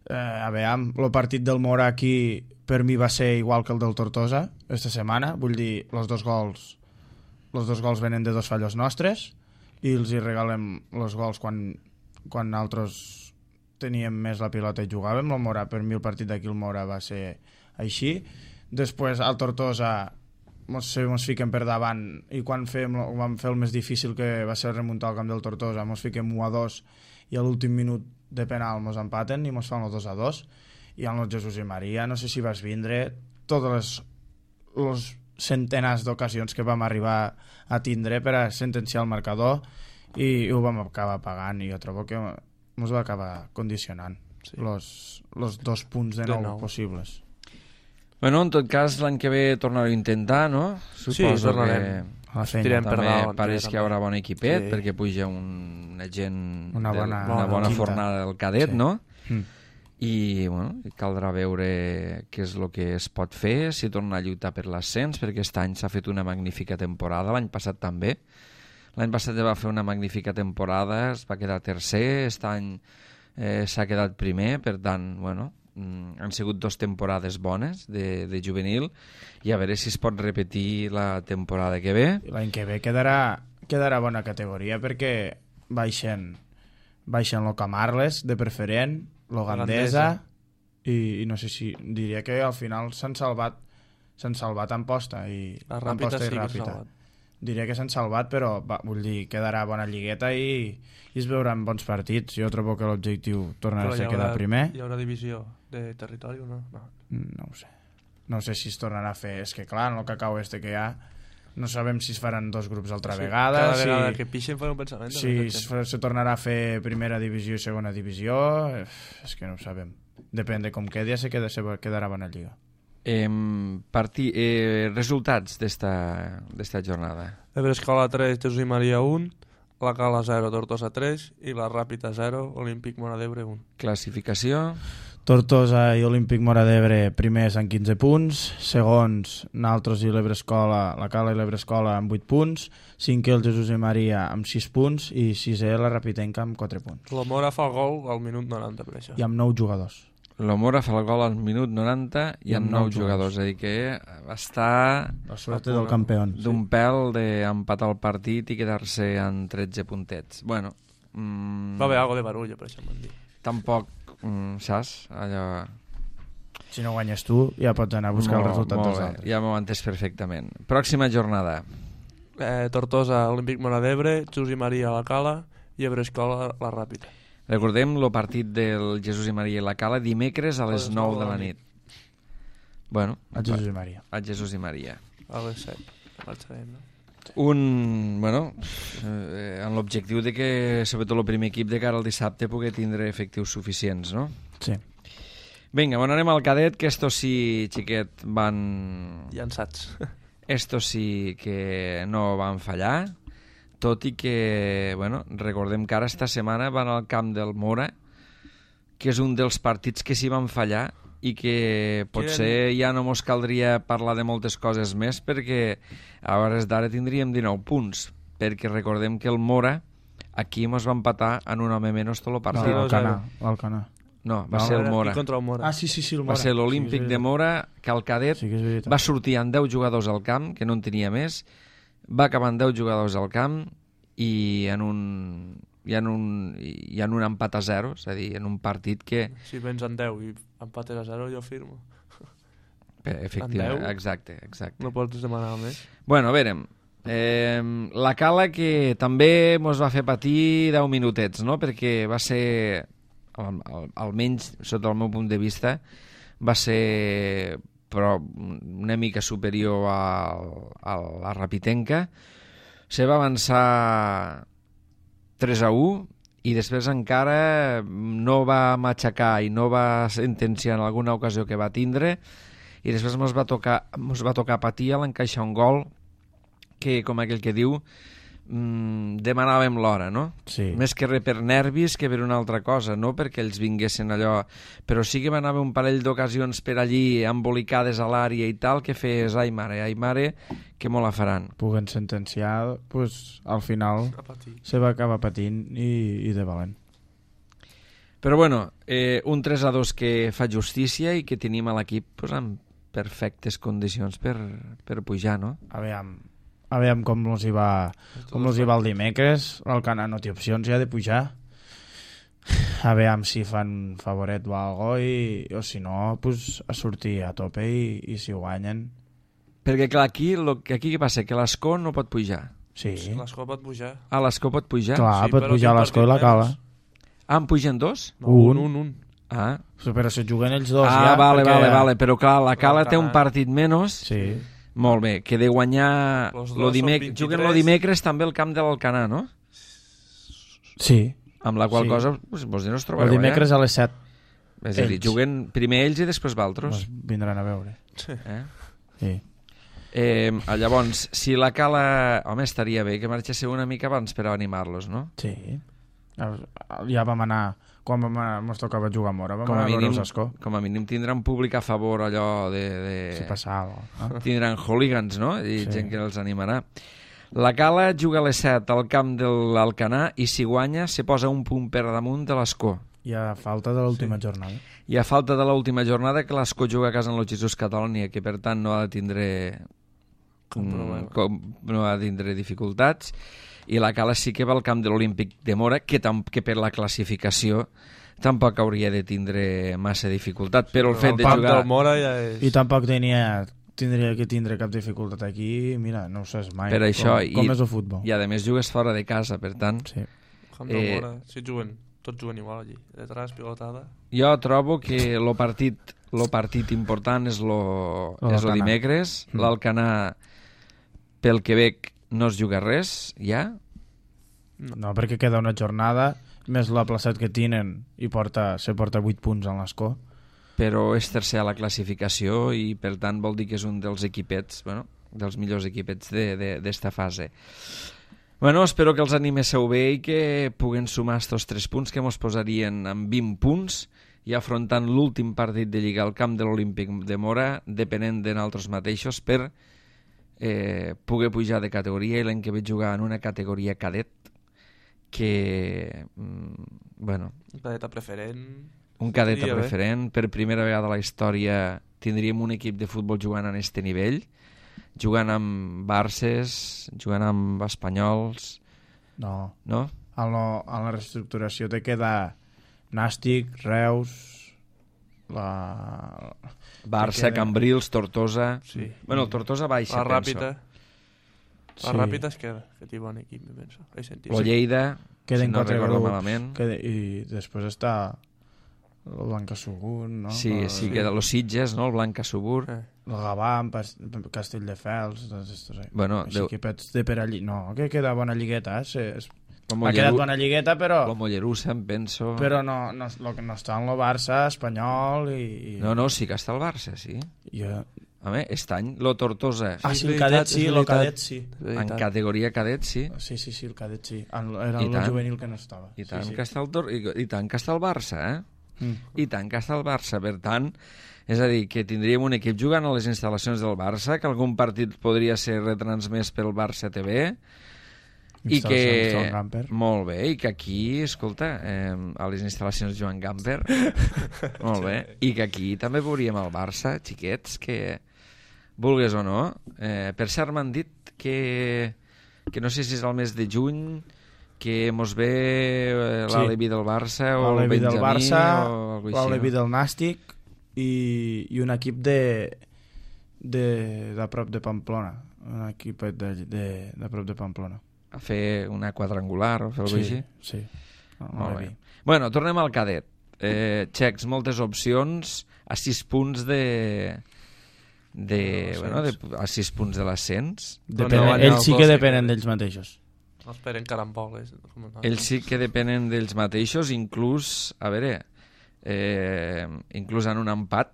A veure, el partit del Mora aquí per mi va ser igual que el del Tortosa esta setmana, vull dir, els dos gols venen de 2 fallos nostres i els hi regalem els gols quan nosaltres teníem més la pilota i jugàvem. El Mora, per mi el partit d'aquí el Mora va ser així. Després al Tortosa mos fiquem per davant i quan vam fer el més difícil, que va ser remuntar al camp del Tortosa, mos fiquem 1-2 i a l'últim minut de penal mos empaten i mos fan el 2-2 i el Jesús i Maria, no sé si vas vindre totes les centenars d'ocasions que vam arribar a tindre per a sentenciar el marcador i ho vam acabar pagant i jo trobo que mos va acabar condicionant los 2 punts de 9 possibles. Bueno, en tot cas, l'any que ve tornareu a intentar, no? Suposo tornarem. També pareix que hi haurà bon equipet, perquè puja una gent una bona fornada del cadet, no? I bueno, caldrà veure què és el que es pot fer, si torna a lluitar per l'ascens, perquè aquest any s'ha fet una magnífica temporada, l'any passat també. L'any passat va fer una magnífica temporada, es va quedar tercer, aquest any s'ha quedat primer, per tant, bueno, han sigut 2 temporades bones de juvenil i a veure si es pot repetir la temporada que ve. L'any que ve quedarà bona categoria perquè baixen lo Camarles de preferent, lo Gandesa i no sé si diria que al final s'han salvat en posta i Ràpita. Diria que s'han salvat, però vull dir, quedarà bona lligueta i es veuran bons partits. Jo trobo que l'objectiu tornarà a ser quedar primer. Hi haurà divisió de territori o no? No ho sé. No sé si es tornarà a fer. És que clar, en el cacau que hi ha no sabem si es faran 2 grups altra vegada. Cada vegada que pixen fa un pensament. Si se tornarà a fer primera divisió i segona divisió, és que no ho sabem. Depèn de com quedi, quedarà bona lliga. Resultats d'esta jornada. Ebrescola 3, Jesús i Maria 1, la Cala 0, Tortosa 3 i la Ràpita 0, Olímpic Móra d'Ebre 1. Classificació: Tortosa i Olímpic Móra d'Ebre primers amb 15 punts, segons nosaltres i l'Ebrescola, la Cala i l'Ebrescola amb 8 punts, 5è el Jesús i Maria amb 6 punts i 6è la Rapitenca amb 4 punts. La Mora fa el gol al minut 90 per això. I amb 9 jugadors. La Mora fa el gol al minut 90 i amb 9 jugadors, és a dir que va estar la suerte del campió d'un pèl d'empatar el partit i quedar-se en 13 puntets. Bueno, va haver algo de barullo, per això m'han dit. Tampoc, saps? Allò... Si no guanyes tu, ja pots anar a buscar el resultat dels altres. Ja m'ho he entès perfectament. Pròxima jornada. Tortosa, Olímpic Móra d'Ebre, Jesús i Maria a la Cala i Ebrescola la Ràpita. Recordem el partit del Jesús i Maria i la Cala dimecres a les 9 de la nit. Bueno, A Jesús i Maria. a Jesús i Maria. A les 7. Marxarem, no? En l'objectiu de que, sobretot el primer equip de cara al dissabte, pugui tindre efectius suficients, no? Sí. Vinga, bueno, anem al cadet, que estos sí, xiquet, van... Llançats. Estos sí que no van fallar, tot i que, bueno, recordem que ara esta setmana van al camp del Mora, que és un dels partits que sí van fallar i que potser ja no mos caldria parlar de moltes coses més perquè a hores d'ara tindríem 19 punts, perquè recordem que el Mora aquí mos va empatar en un home menys tot el No, partit. l'Alcanar. No, va ser el Mora. I contra el Mora. Ah, sí, el Mora. Va ser l'Olímpic de Mora, que el cadet Sí que és veritat. va sortir amb 10 jugadors al camp, que no en tenia més, va acabar amb 10 jugadors al camp i en un empat a 0, és a dir, en un partit que... Si vens en 10 i empates a 0, jo firmo. Efectivament, En 10? exacte. No pots demanar més. Bueno, a veure, la Cala que també mos va fer patir 10 minutets, no? Perquè va ser, almenys sota el meu punt de vista, va ser però una mica superior a la Rapitenca. Se va avançar 3-1 i després encara no va matxacar i no va sentenciar en alguna ocasió que va tindre i després mos va tocar patir a l'encaixar un gol que, com aquell que diu, demanàvem l'hora, no? Sí. Més que res per nervis que per una altra cosa, no perquè ells vinguessin allò, però sí que van haver un parell d'ocasions per allí embolicades a l'àrea i tal, que fes ai mare, que molt la faran. Puguen sentenciar, pues, al final A patir. se va acabar patint i de valent. Però bueno, un 3-2 que fa justícia i que tenim a l'equip pues, en perfectes condicions per pujar, no? Aviam com els hi va el dimecres. L'Alcanar no té opcions ja de pujar. Aviam si fan favoret o algo o si no, pues, a sortir a tope i si guanyen. Perquè clar, aquí què passa? Que l'Escó no pot pujar. Sí, L'Escó pot pujar. Ah, l'Escó pot pujar? clar, Sí, pot però pujar quin l'Escó i la partit Cala. menys? Ah, en pugen dos? No, Un. un. Ah, Però se juguen ells dos ah ja. vale, perquè... però clar, la Cala té un L'Alcanar. partit menys. Sí, Molt bé, que de guanyar... Los dos són 23. Juguen el dimecres també al camp de l'Alcanar, no? sí. Amb la qual Sí. cosa pues, no es trobareu El dimecres a les 7 allà. És a dir, ells. juguen primer ells i després valtros. vindran a veure. Eh? Sí. Llavors, si la Cala... Home, estaria bé que marxéssiu una mica abans per animar-los, no? Sí. Ja vam anar... Quan ens tocava jugar a Mora, vam anar a veure els Escó. com a mínim tindran públic a favor allò Si passava. tindran hooligans, no? I Sí. gent que els animarà. La Cala juga a les 7 al camp de l'Alcanar i si guanya se posa un punt per damunt de l'Escó. I a falta de l'última jornada. I a falta de l'última jornada que l'Escó juga a casa en el Jesús Catònia, que per tant no ha de tindre no ha de tindre dificultats, i la Cala sí que va al camp de l'Olímpic de Mora, que per la classificació tampoc hauria de tindre massa dificultat, però el fet de camp jugar... del Mora ja és... I tampoc tindria que tindre cap dificultat aquí, mira, no ho saps mai. Per això, com és el futbol. I a més jugues fora de casa, per tant... Sí. Camp del Mora, si juguen, tots juguen igual allí. Detrás, pilotada. Jo trobo que el partit important és lo dimecres. L'Alcanar, pel Quebec, no es juga res, ja? No, perquè queda una jornada, més la placet que tenen, i se porta 8 punts en l'Escó. Però és tercer a la classificació i, per tant, vol dir que és un dels equipets, bueno, dels millors equipets d'esta fase. Bueno, espero que els animéssiu bé i que puguen sumar estos 3 punts que mos posarien en 20 punts i afrontant l'últim partit de Lliga al camp de l'Olímpic de Mora, depenent de nosaltres mateixos, per poder pujar de categoria i l'any que veig jugar en una categoria cadet que, bueno... Un cadeta preferent... Un cadet Estaria bé. preferent. Per primera vegada a la història tindríem un equip de futbol jugant en este nivell, jugant amb Barces, jugant amb Espanyols... No. No? En la reestructuració te queda Nàstic, Reus, Barça, queda- Cambrils, Tortosa... Sí. Bueno, el Tortosa baixa, La Ràpita. La Ràpid es queda, que té bon equip, me penso. Lo Lleida, Queden si no 4 recordo grups. malament. I després està el Blanca Subur, no? Sí, queda los Sitges, no? El Blanca Subur. El Gavà, Castelldefels, tots estos, Bueno, així equipets de per allí. No, que queda bona lligueta, Lo ha quedat bona lligueta, però... Lo Mollerussa, em penso... Però no està en el Barça, Espanyol i... No, sí que està el Barça, sí. Home, aquest any, lo Tortosa. Sí, el cadet sí, el cadet sí. En categoria cadet, sí. Sí, el cadet sí. Era el juvenil que no estava. I tant que està el Barça, I tant que està el Barça. Per tant, és a dir, que tindríem un equip jugant a les instal·lacions del Barça, que algun partit podria ser retransmès pel Barça TV, i que... Molt bé, i que aquí, escolta, a les instal·lacions Joan Gamper, molt bé, i que aquí també veuríem el Barça, xiquets, que vulgues o no. Per cert, m'han dit que no sé si és el mes de juny, que mos ve l'Alevi del Barça o el Benjamí del Barça, o alguna cosa així, l'Alevi del Nàstic i un equip de prop de Pamplona, un equip de prop de Pamplona, a fer una quadrangular o fer alguna cosa així? Sí. Molt bé. Bueno, tornem al cadet. Xecs, moltes opcions a 6 punts a 6 punts de l'ascens. Ells sí que depenen d'ells mateixos. No esperen caramboles. Ells sí que depenen d'ells mateixos, inclús, a veure, inclús en un empat.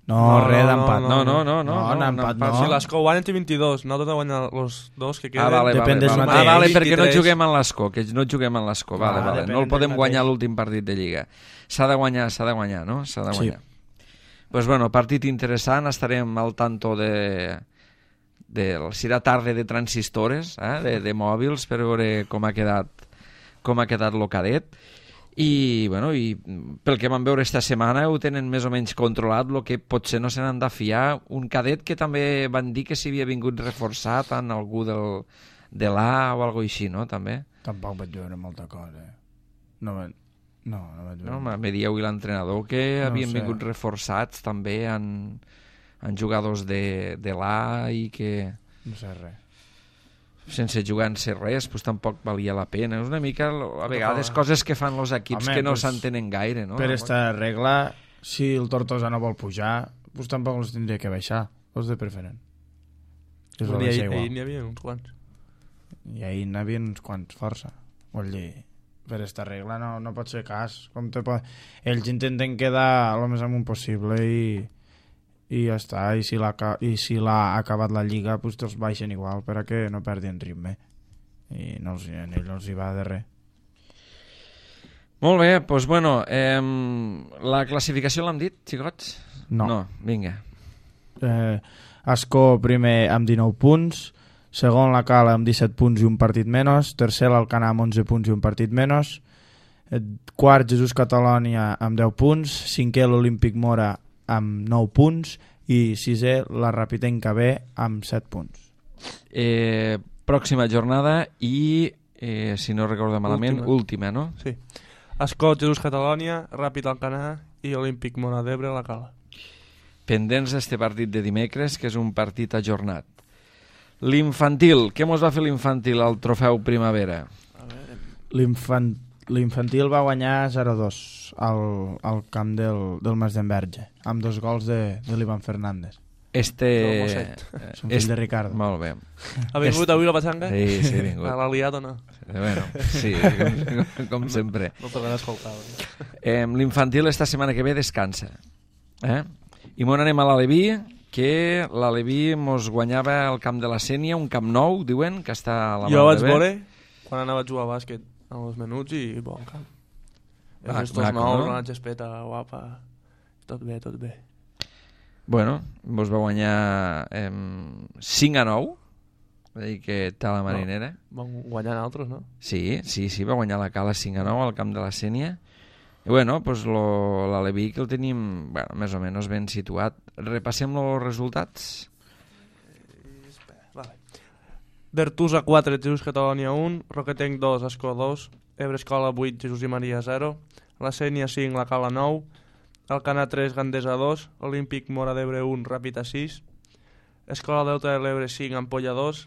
Res d'empat. No, empat no. Si l'Escó guanya té 22, no tot a guanyar els dos que queden. Vale, perquè no juguem en l'Escó, vale. No el podem guanyar l'últim partit de Lliga. S'ha de guanyar, no? S'ha de guanyar. Pues bueno, partit interessant, estarem al tanto si era tarda de transistores, de mòbils, per veure com ha quedat lo cadet. I pel que vam veure esta setmana ho tenen més o menys controlat, el que potser no se n'han de fiar. Un cadet que també van dir que s'havia vingut reforçat en algú de l'A o alguna així, no? També. Tampoc vaig veure molta cosa. No vaig veure. No, me dieu l'entrenador que havien vingut reforçats també en jugadors de l'A i que... No sé res. Sense jugar-se res, pues tampoc valia la pena. És una mica, a vegades, coses que fan els equips que no s'entenen gaire, no? Per esta regla, si el Tortosa no vol pujar, pues tampoc els tindria que baixar, els de preferent. Ahir n'hi havia uns quants. I ahir n'hi havia uns quants, força. Vull dir, per esta regla no pot ser cas. Ells intenten quedar el més amunt possible i ja està, i si l'ha acabat la Lliga pues els baixen igual perquè no perdin ritme i a ell no els hi va de res. Molt bé, doncs bueno, la classificació l'hem dit, xicots? No, vinga. Escó primer amb 19 punts, segon la Cala amb 17 punts i un partit menys, tercer l'Alcanar amb 11 punts i un partit menys, quart Jesús Catalònia amb 10 punts, cinquè l'Olímpic Mora amb 9 punts i sisè la Rapitenca B amb 7 punts. Pròxima jornada i, si no recordo malament, última, no? Sí. Escó, Jesús Catalònia, Ràpid Alcanar i Olímpic Mora d'Ebre a la Cala. Pendents d'este partit de dimecres, que és un partit ajornat. L'infantil, què mos va fer l'infantil al trofeu Primavera? L'infantil va guanyar 0-2 al camp del Mas d'Enverge, amb 2 gols de l'Ivan Fernández. Son fill de Ricardo. Molt bé. Ha vingut avui la patxanga? Sí, ha vingut. L'ha liat o no? Bueno, sí, com sempre. No tornarà a escoltar. L'infantil esta setmana que ve descansa. I m'on anem a l'Aleví, que l'Aleví mos guanyava al camp de la Sénia, un camp nou, diuen, que està a la mà de bé. Jo vaig veure quan anava a jugar a bàsquet en els menuts i bon camp. Els dos nous, una gespeta guapa, tot bé. Bueno, vos va guanyar 5-9, va dir que tal la marinera. Van guanyar altres, no? Sí, va guanyar la Cala 5-9 al camp de la Sénia. I bueno, pues l'Aleví que el tenim més o menys ben situat. Repassem els resultats. Vale. Bertusa 4, Jesús Catalònia 1, Roquetenc 2, Escó 2, Ebre Escola 8, Jesús i Maria 0, la Sénia 5, la Cala 9, Alcanar 3, Gandesa 2, Olímpic Mora d'Ebre 1, Ràpid a 6, Escola Delta de l'Ebre 5, Ampolla 2,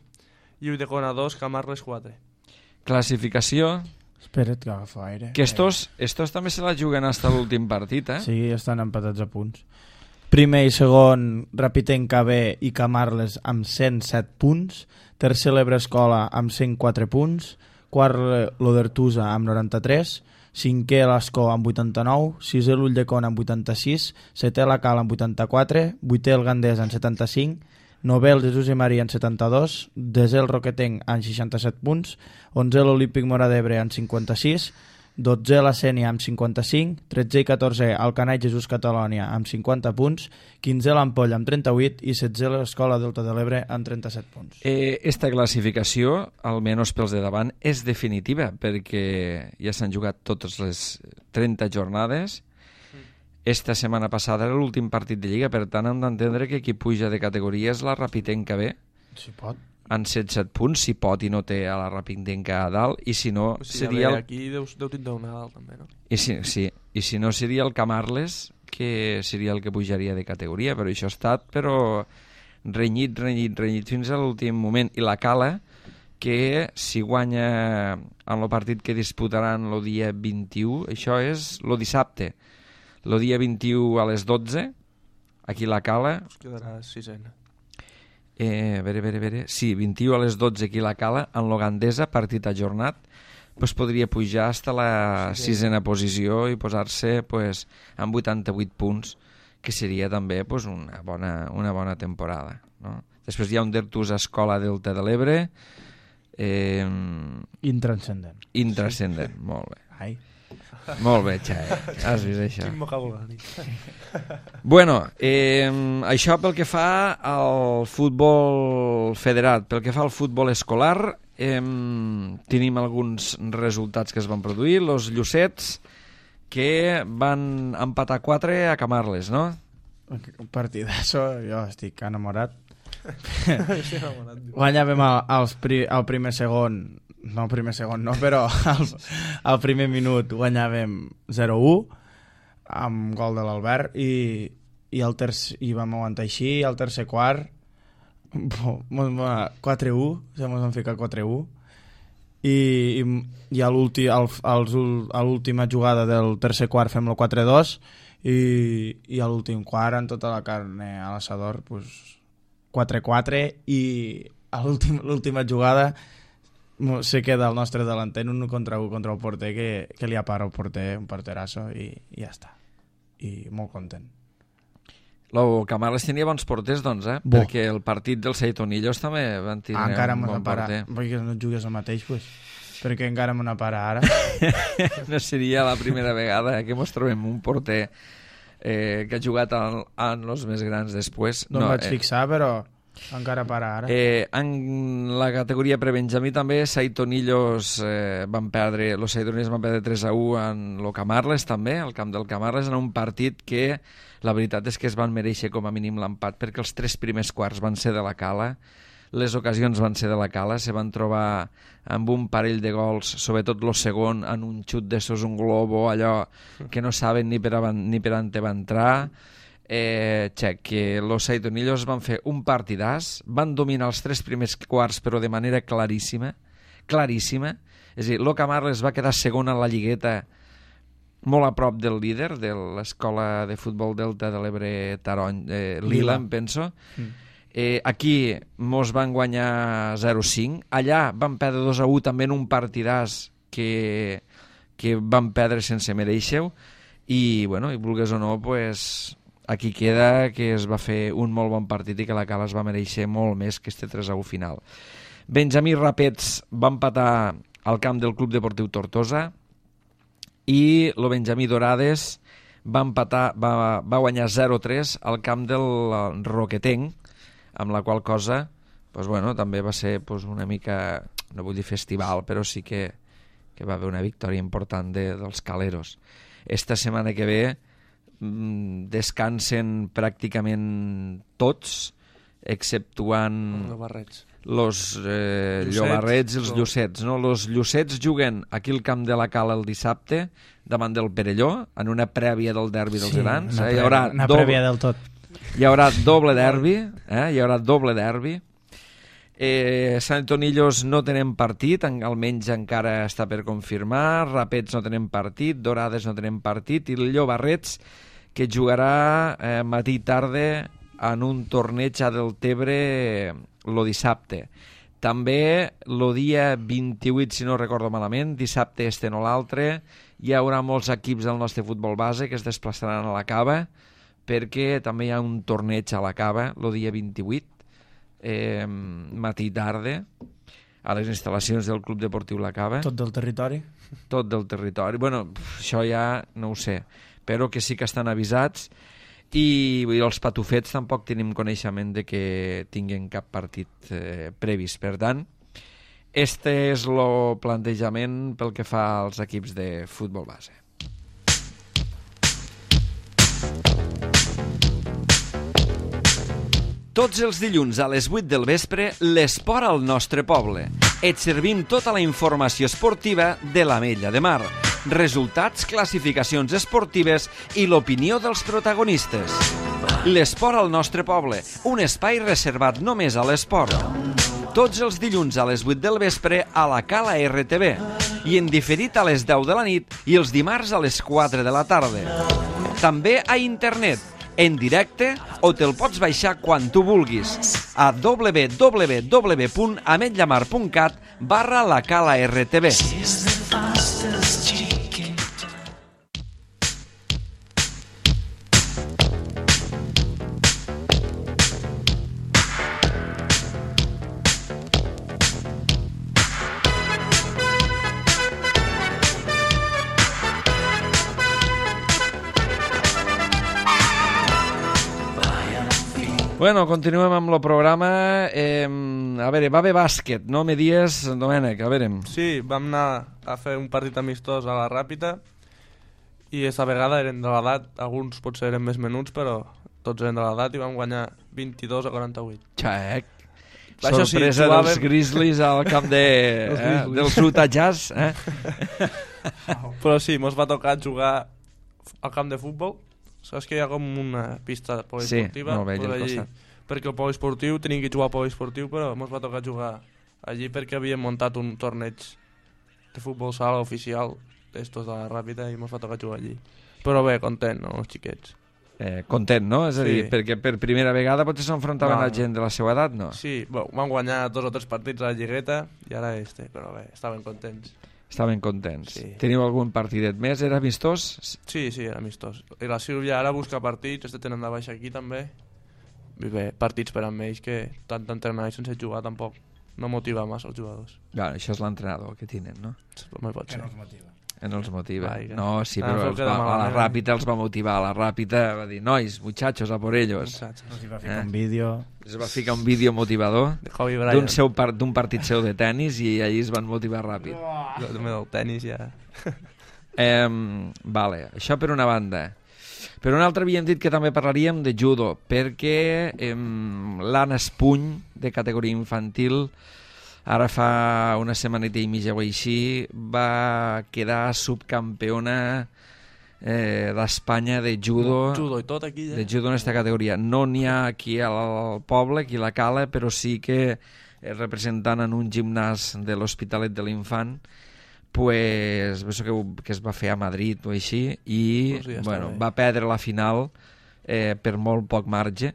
Ulldecona 2, Camarles 4. Classificació, Espera't que agafo aire. que estos també se la juguen hasta l'últim partit, eh? Sí, estan empatats a punts. Primer i segon, Rapitenc KB i Camarles amb 107 punts. Tercer, l'Ebre Escola amb 104 punts. Quart, l'Odertusa amb 93. Cinquè, l'Escó amb 89. Sisè, l'Ulldecona amb 86. Setè, la Cala amb 84. Vuitè, el Gandés amb 75. Novè, el Jesús i Maria amb 72. Desè, el Roquetenc amb 67 punts. 11è, l'Olímpic Móra d'Ebre amb 56. 12è, la Sénia amb 55. 13è i 14è, el Canall Jesús Catalònia amb 50 punts. 15è, l'Ampolla amb 38. I 16è, l'Escola Delta de l'Ebre amb 37 punts. Esta classificació, almenys pels de davant, és definitiva, perquè ja s'han jugat totes les 30 jornades. Esta setmana passada era l'últim partit de Lliga, per tant hem d'entendre que qui puja de categoria és la Rapitenc KB, Si pot. en 107 punts, si pot i no té a la Rapitenc a dalt, i si no seria el... Aquí deu tindre una dalt també, no? I si no seria el Camarles, que seria el que pujaria de categoria, però això ha estat renyit fins a l'últim moment. I la Cala, que si guanya en el partit que disputaran el dia 21, això és el dissabte, el dia 21 a les 12, aquí la Cala... Es quedarà sisena. Sí, 21 a les 12 aquí la Cala, en l'Ogandesa, partit ajornat, pues podria pujar fins a la sisena posició i posar-se pues, amb 88 punts, que seria també pues, una bona temporada. No? Després hi ha un Dertus Escola Delta de l'Ebre. Intranscendent. Intranscendent, molt bé. Ai. Molt bé, Xai, has vist això. Quin vocabulari. Bueno, això pel que fa al futbol federat. Pel que fa al futbol escolar, tenim alguns resultats que es van produir. Los Llucets, que van empatar 4 a Camarles, no? Un partidazo, jo estic enamorat. Guanyàvem el primer segon, però al primer minut guanyàvem 0-1 amb gol de l'Albert i vam aguantar així. Al tercer quart 4-1, ja ens vam ficar 4-1 i a l'última jugada del tercer quart fem el 4-2 i a l'últim quart en tota la carne a l'assador pues, 4-4 i a l'última jugada se queda el nostre delanter en 1 contra 1 contra el porter que li apara el porter, un porterasso i ja està, i molt content. El Camarles tenia bons porters, doncs, perquè el partit dels Seitonillos també van tenir un bon porter. Perquè no jugues el mateix, pues, perquè encara me n'apara ara. No seria la primera vegada que mos trobem un porter que ha jugat en els més grans després. No em vaig fixar, però encara para ara. En la categoria prebenjamí també Seitonillos van perdre 3-1 en el Camarles també, al camp del Camarles, en un partit que la veritat és que es van mereixer com a mínim l'empat, perquè els 3 primers quarts van ser de la Cala, les ocasions van ser de la Cala, se van trobar amb un parell de gols, sobretot el segon, en un xut d'estos, un globo, allò que no saben ni per on te va entrar. Que los Seitonillos van fer un partidàs, van dominar els 3 primers quarts però de manera claríssima, és a dir, el Camarles va quedar segon en la lligueta molt a prop del líder de l'Escola de Futbol Delta de l'Ebre Lila, em penso. Aquí mos van guanyar 0-5, allà van perdre 2-1 també en un partidàs que van perdre sense mereixer i, bueno, i vulgues o no, pues aquí queda que es va fer un molt bon partit i que la Cala es va mereixer molt més que este 3-1 final. Benjamí Rapets va empatar al camp del Club Deportiu Tortosa i el Benjamí Dorades va guanyar 0-3 al camp del Roquetenc, amb la qual cosa pues, bueno, també va ser pues, una mica, no vull dir festival, però sí que va haver una victòria important dels caleros. Esta setmana que ve descansen pràcticament tots, exceptuant los llobarrets i els llucets. No? Els llucets juguen aquí al camp de la Cala el dissabte davant del Perelló, en una prèvia del derbi dels grans. Hi haurà una prèvia del tot. Hi haurà doble derbi, hi haurà doble derbi. Sant Antonillos no tenen partit, almenys encara està per confirmar. Rapets no tenen partit, Dorades no tenen partit, i el Llobarrets, que jugarà matí i tarda en un torneig a Deltebre lo dissabte. També el dia 28, si no recordo malament, dissabte este no l'altre, hi haurà molts equips del nostre futbol base que es desplaçaran a la Cava, perquè també hi ha un torneig a la Cava el dia 28, matí i tarda, a les instal·lacions del Club Deportiu La Cava. Tot del territori? Tot del territori. Bueno, això ja no ho sé, però que sí que estan avisats, i els patufets tampoc tenim coneixement de que tinguin cap partit previst. Per tant, este és el plantejament pel que fa als equips de futbol base. Tots els dilluns a les 8 del vespre, l'esport al nostre poble. Et servim tota la informació esportiva de l'Ametlla de Mar, resultats, classificacions esportives i l'opinió dels protagonistes. L'esport al nostre poble, un espai reservat només a l'esport. Tots els dilluns a les 8 del vespre a la Cala RTV i en diferit a les 10 de la nit i els dimarts a les 4 de la tarda. També a internet, en directe, o te'l pots baixar quan tu vulguis a www.ametllamar.cat/la-cala-rtv. Bueno, continuem amb el programa. A veure, va haver bàsquet, no me dies, Domènec? A veure. Sí, vam anar a fer un partit amistós a la Ràpita i aquesta vegada eren de l'edat, alguns potser eren més menuts, però tots eren de l'edat i vam guanyar 22-48. Xaec. Això sí, sorpresa jugàvem... dels Grizzlies al camp dels Utah Jazz. Però sí, mos va tocar jugar al camp de futbol. Saps que hi ha com una pista poliesportiva? Sí, molt bé, allà al costat. Perquè el poliesportiu tenim que jugar al poliesportiu, però ens va tocar jugar allí perquè havíem muntat un torneig de futbol sala oficial d'estos de la Ràpita i ens va tocar jugar allí. Però bé, content, no, els xiquets. Content, no? És a dir, Sí. perquè per primera vegada potser s'enfrontaven No. a gent de la seva edat, no? Sí, bueno, vam guanyar 2 o 3 partits a la lligueta i ara però bé, estaven contents. Estaven contents. Sí. Teniu algun partidet més? Era amistós? Sí, era amistós. I la Sílvia ara busca partits, tenen de baixa aquí també. I bé, partits per amb ells que tant d'entrenar i sense jugar tampoc no motiva massa els jugadors. Bueno, això és l'entrenador que tenen, no? No pot ser. No els motiva. Vai, No, sí, Ah, però em queda a la malament. Ràpita els va motivar. A la Ràpita va dir, nois, muchachos, a por ellos. Muchachos. Els va ficar un vídeo... Es va ficar un vídeo motivador De Kobe Bryant. d'un partit seu de tennis i allí es van motivar ràpid. També del tenis ja. Vale, això per una banda. Per una altra havíem dit que també parlaríem de judo, perquè l'Anna Espuny, de categoria infantil, ara fa una setmaneta i mitja o així, va quedar subcampiona d'Espanya de judo. Judo i tot aquí ja. De judo en aquesta categoria. No n'hi ha aquí al poble, aquí a la Cala, però sí que representant en un gimnàs de l'Hospitalet de l'Infant, pues, que es va fer a Madrid o així, i Pues ja està bueno, bé. va perdre la final per molt poc marge,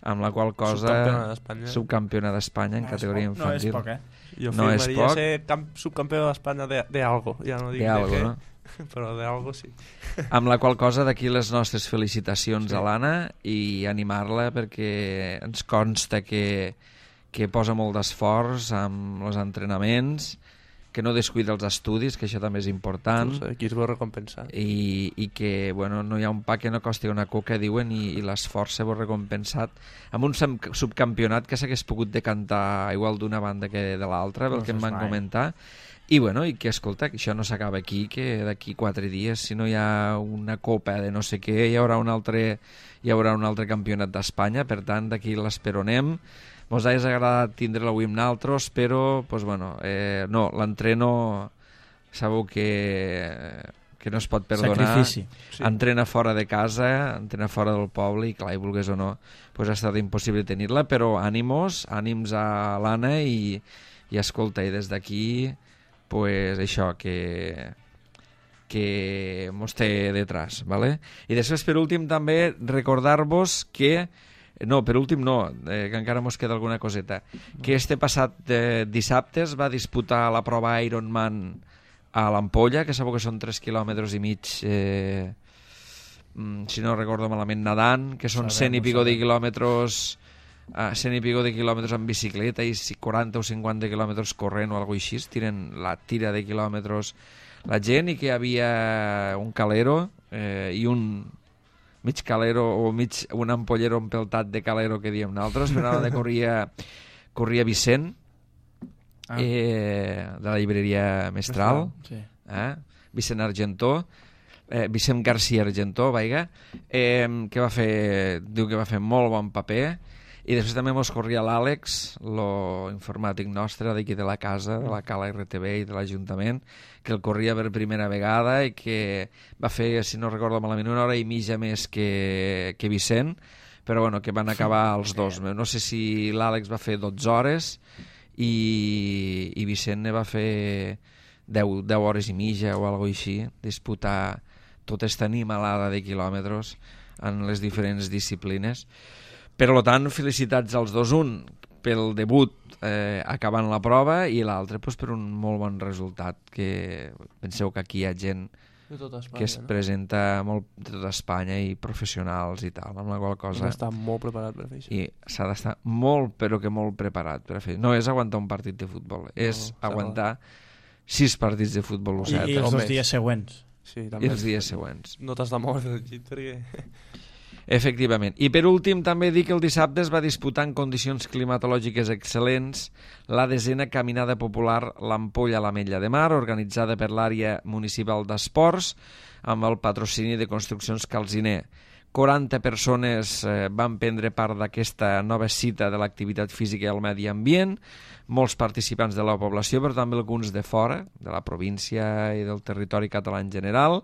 amb la qual cosa Subcampiona d'Espanya. subcampiona d'Espanya en categoria No és infantil. poc, Jo No és afirmaria poc. ser subcampió d'Espanya de algo. Ja no dic De algo, què, no? però de algo sí. Amb la qual cosa d'aquí les nostres felicitacions Sí. a l'Anna i animar-la perquè ens consta que posa molt d'esforç amb els entrenaments, que no descuida els estudis, que això també és important, Aquí es veu recompensar. i que bueno, no hi ha un pa que no costi una coca, diuen, i l'esforç s'ha recompensat amb un subcampionat que s'hagués pogut decantar igual d'una banda que de l'altra, pel No que em fes van mai. comentar. I bueno, i que escolta, que això no s'acaba aquí, que d'aquí 4 dies, si no hi ha una copa de no sé què, hi haurà un altre campionat d'Espanya, per tant d'aquí l'esperonem. Mos hagués agradat tindre-la avui amb naltros, però pues, bueno, no, l'entreno sabeu que que no es pot perdonar. Sacrifici. Sí. Entrena fora de casa, entrena fora del poble i clar, i vulgués o no, pues ha estat impossible tenir-la, però ànims a l'Anna i escolta, i des d'aquí pues això, que mos té detrás, ¿vale? I després, per últim, també recordar-vos que no, per últim no, que encara mos queda alguna coseta, que este passat dissabte es va disputar la prova Ironman a l'Ampolla, que sabeu que són 3 quilòmetres i mig, si no recordo malament, nedant, que són 100 i pico de quilòmetres, 100 i pico de quilòmetres en bicicleta i 40 o 50 quilòmetres corrent o alguna cosa així, tiren la tira de quilòmetres la gent, i que hi havia un calero i un mig calero o un ampollero empeltat de calero que diem nosaltres, però de corria Vicent, de la llibreria Mestral, Sí. Vicent Argentó, Vicent García Argentó, que diu que va fer molt bon paper. I després també mos corria l'Àlex, l'informàtic nostre d'aquí de la casa, de la Cala RTV i de l'Ajuntament, que el corria per primera vegada i que va fer, si no recordo malament, 1 hora i mitja més que Vicent, però bueno, que van acabar els dos. No sé si l'Àlex va fer 12 hores i Vicent ne va fer 10 hores i mitja o alguna cosa així, disputar tota aquesta animalada de quilòmetres en les diferents disciplines. Per tant, felicitats als dos, un pel debut acabant la prova i l'altre pues, per un molt bon resultat, que penseu que aquí hi ha gent De tota Espanya, que es presenta molt de tota Espanya i professionals i tal, amb la qual cosa... Està molt preparat per fer això. I s'ha d'estar molt, però que molt preparat per fer. No és aguantar un partit de futbol, és aguantar 6 partits de futbol. I els 2 dies següents. Sí, I també. els dies següents. No t'has de moure del llit perquè... Efectivament. I per últim també dir que el dissabte es va disputar en condicions climatològiques excel·lents la 10a Caminada Popular l'Ampolla a l'Ametlla de Mar, organitzada per l'àrea municipal d'esports amb el patrocini de Construccions Calziner. 40 persones van prendre part d'aquesta nova cita de l'activitat física i el medi ambient, molts participants de la població, però també alguns de fora, de la província i del territori català en general.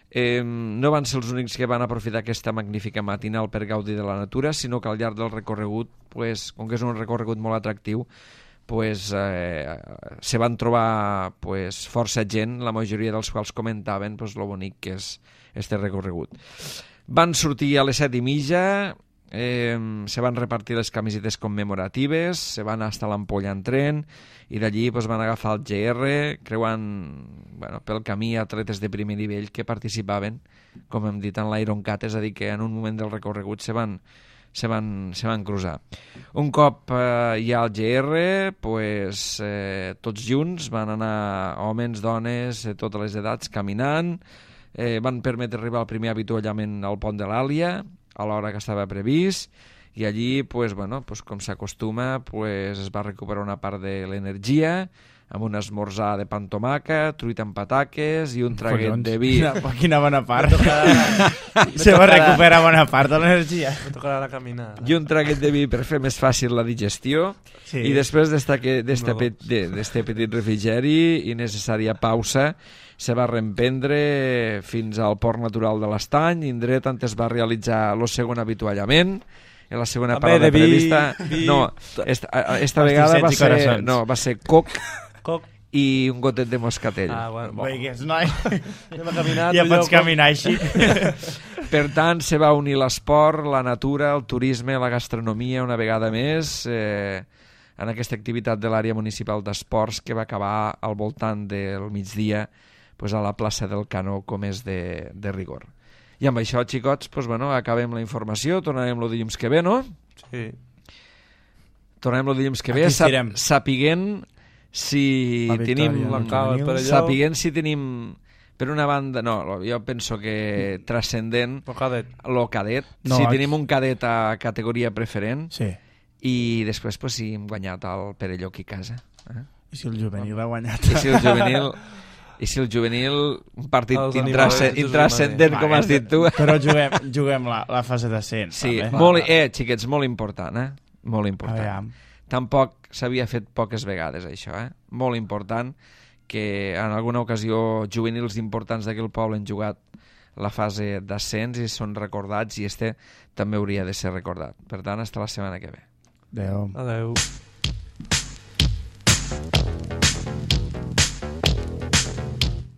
No van ser els únics que van aprofitar aquesta magnífica matinal per gaudir de la natura, sinó que al llarg del recorregut, pues, com que és un recorregut molt atractiu, pues, se van trobar pues, força gent, la majoria dels quals comentaven pues, lo bonic que és este recorregut. Van sortir a les 7:30, se van repartir les camisetes commemoratives, se van estar a l'Ampolla en tren i d'allí pues, van agafar el GR, creuant pel camí atletes de primer nivell que participaven, com hem dit, en l'Ironcat, és a dir, que en un moment del recorregut se van cruzar. Un cop hi ha el GR, pues, tots junts van anar homes, dones, totes les edats, caminant, van permetre arribar al primer avituallament al pont de l'Àlia, a l'hora que estava previst, i allí, pues, com s'acostuma, pues, es va recuperar una part de l'energia, amb un esmorzar de pa amb tomàquet, truita amb pataques i un traguet de vi. Quina bona part. Se va recuperar bona part de l'energia. Me tocarà la caminada. I un traguet de vi per fer més fàcil la digestió. Sí. I després d'este petit refrigeri i necessària pausa, se va reemprendre fins al port natural de l'Estany, indret on es va realitzar el segon avituallament. En la segona parada prevista... No, esta vegada va ser coc i un gotet de moscatell. Bueno. Veigues, noi. Anem a caminar. Ja pots caminar així. Per tant, se va unir l'esport, la natura, el turisme, la gastronomia una vegada més en aquesta activitat de l'àrea municipal d'esports que va acabar al voltant del migdia pues, a la plaça del Canó, com és de rigor. I amb això, xicots, pues, acabem la informació, tornarem el dilluns que ve, no? Sí. Tornarem el dilluns que ve, sapiguent si tenim per una banda, no, jo penso que transcendent lo cadet, si tenim un cadet a categoria preferent, sí. I després pues, si hem guanyat el Perelló aquí a casa. I si el juvenil ha guanyat? I si el juvenil, un partit intrascendent, com has dit tu. Però juguem la fase d'ascens. Sí, xiquets, molt important, Molt important. Tampoc s'havia fet poques vegades, això, Molt important que en alguna ocasió juvenils importants d'aquell poble han jugat la fase d'ascens i són recordats, i este també hauria de ser recordat. Per tant, hasta la setmana que ve. Adéu. Adéu.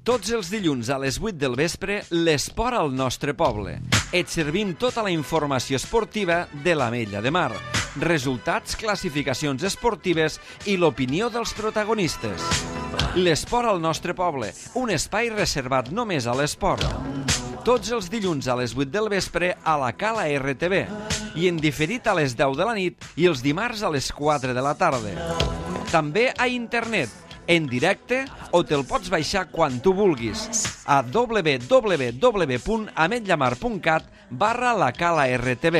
Tots els dilluns a les 8 del vespre, l'esport al nostre poble. Et servim tota la informació esportiva de l'Ametlla de Mar, resultats, classificacions esportives i l'opinió dels protagonistes. L'esport al nostre poble, un espai reservat només a l'esport. Tots els dilluns a les 8 del vespre a la Cala RTV i en diferit a les 10 de la nit i els dimarts a les 4 de la tarda. També a internet, en directe, o te'l pots baixar quan tu vulguis a www.ametllamar.cat/la Cala RTV.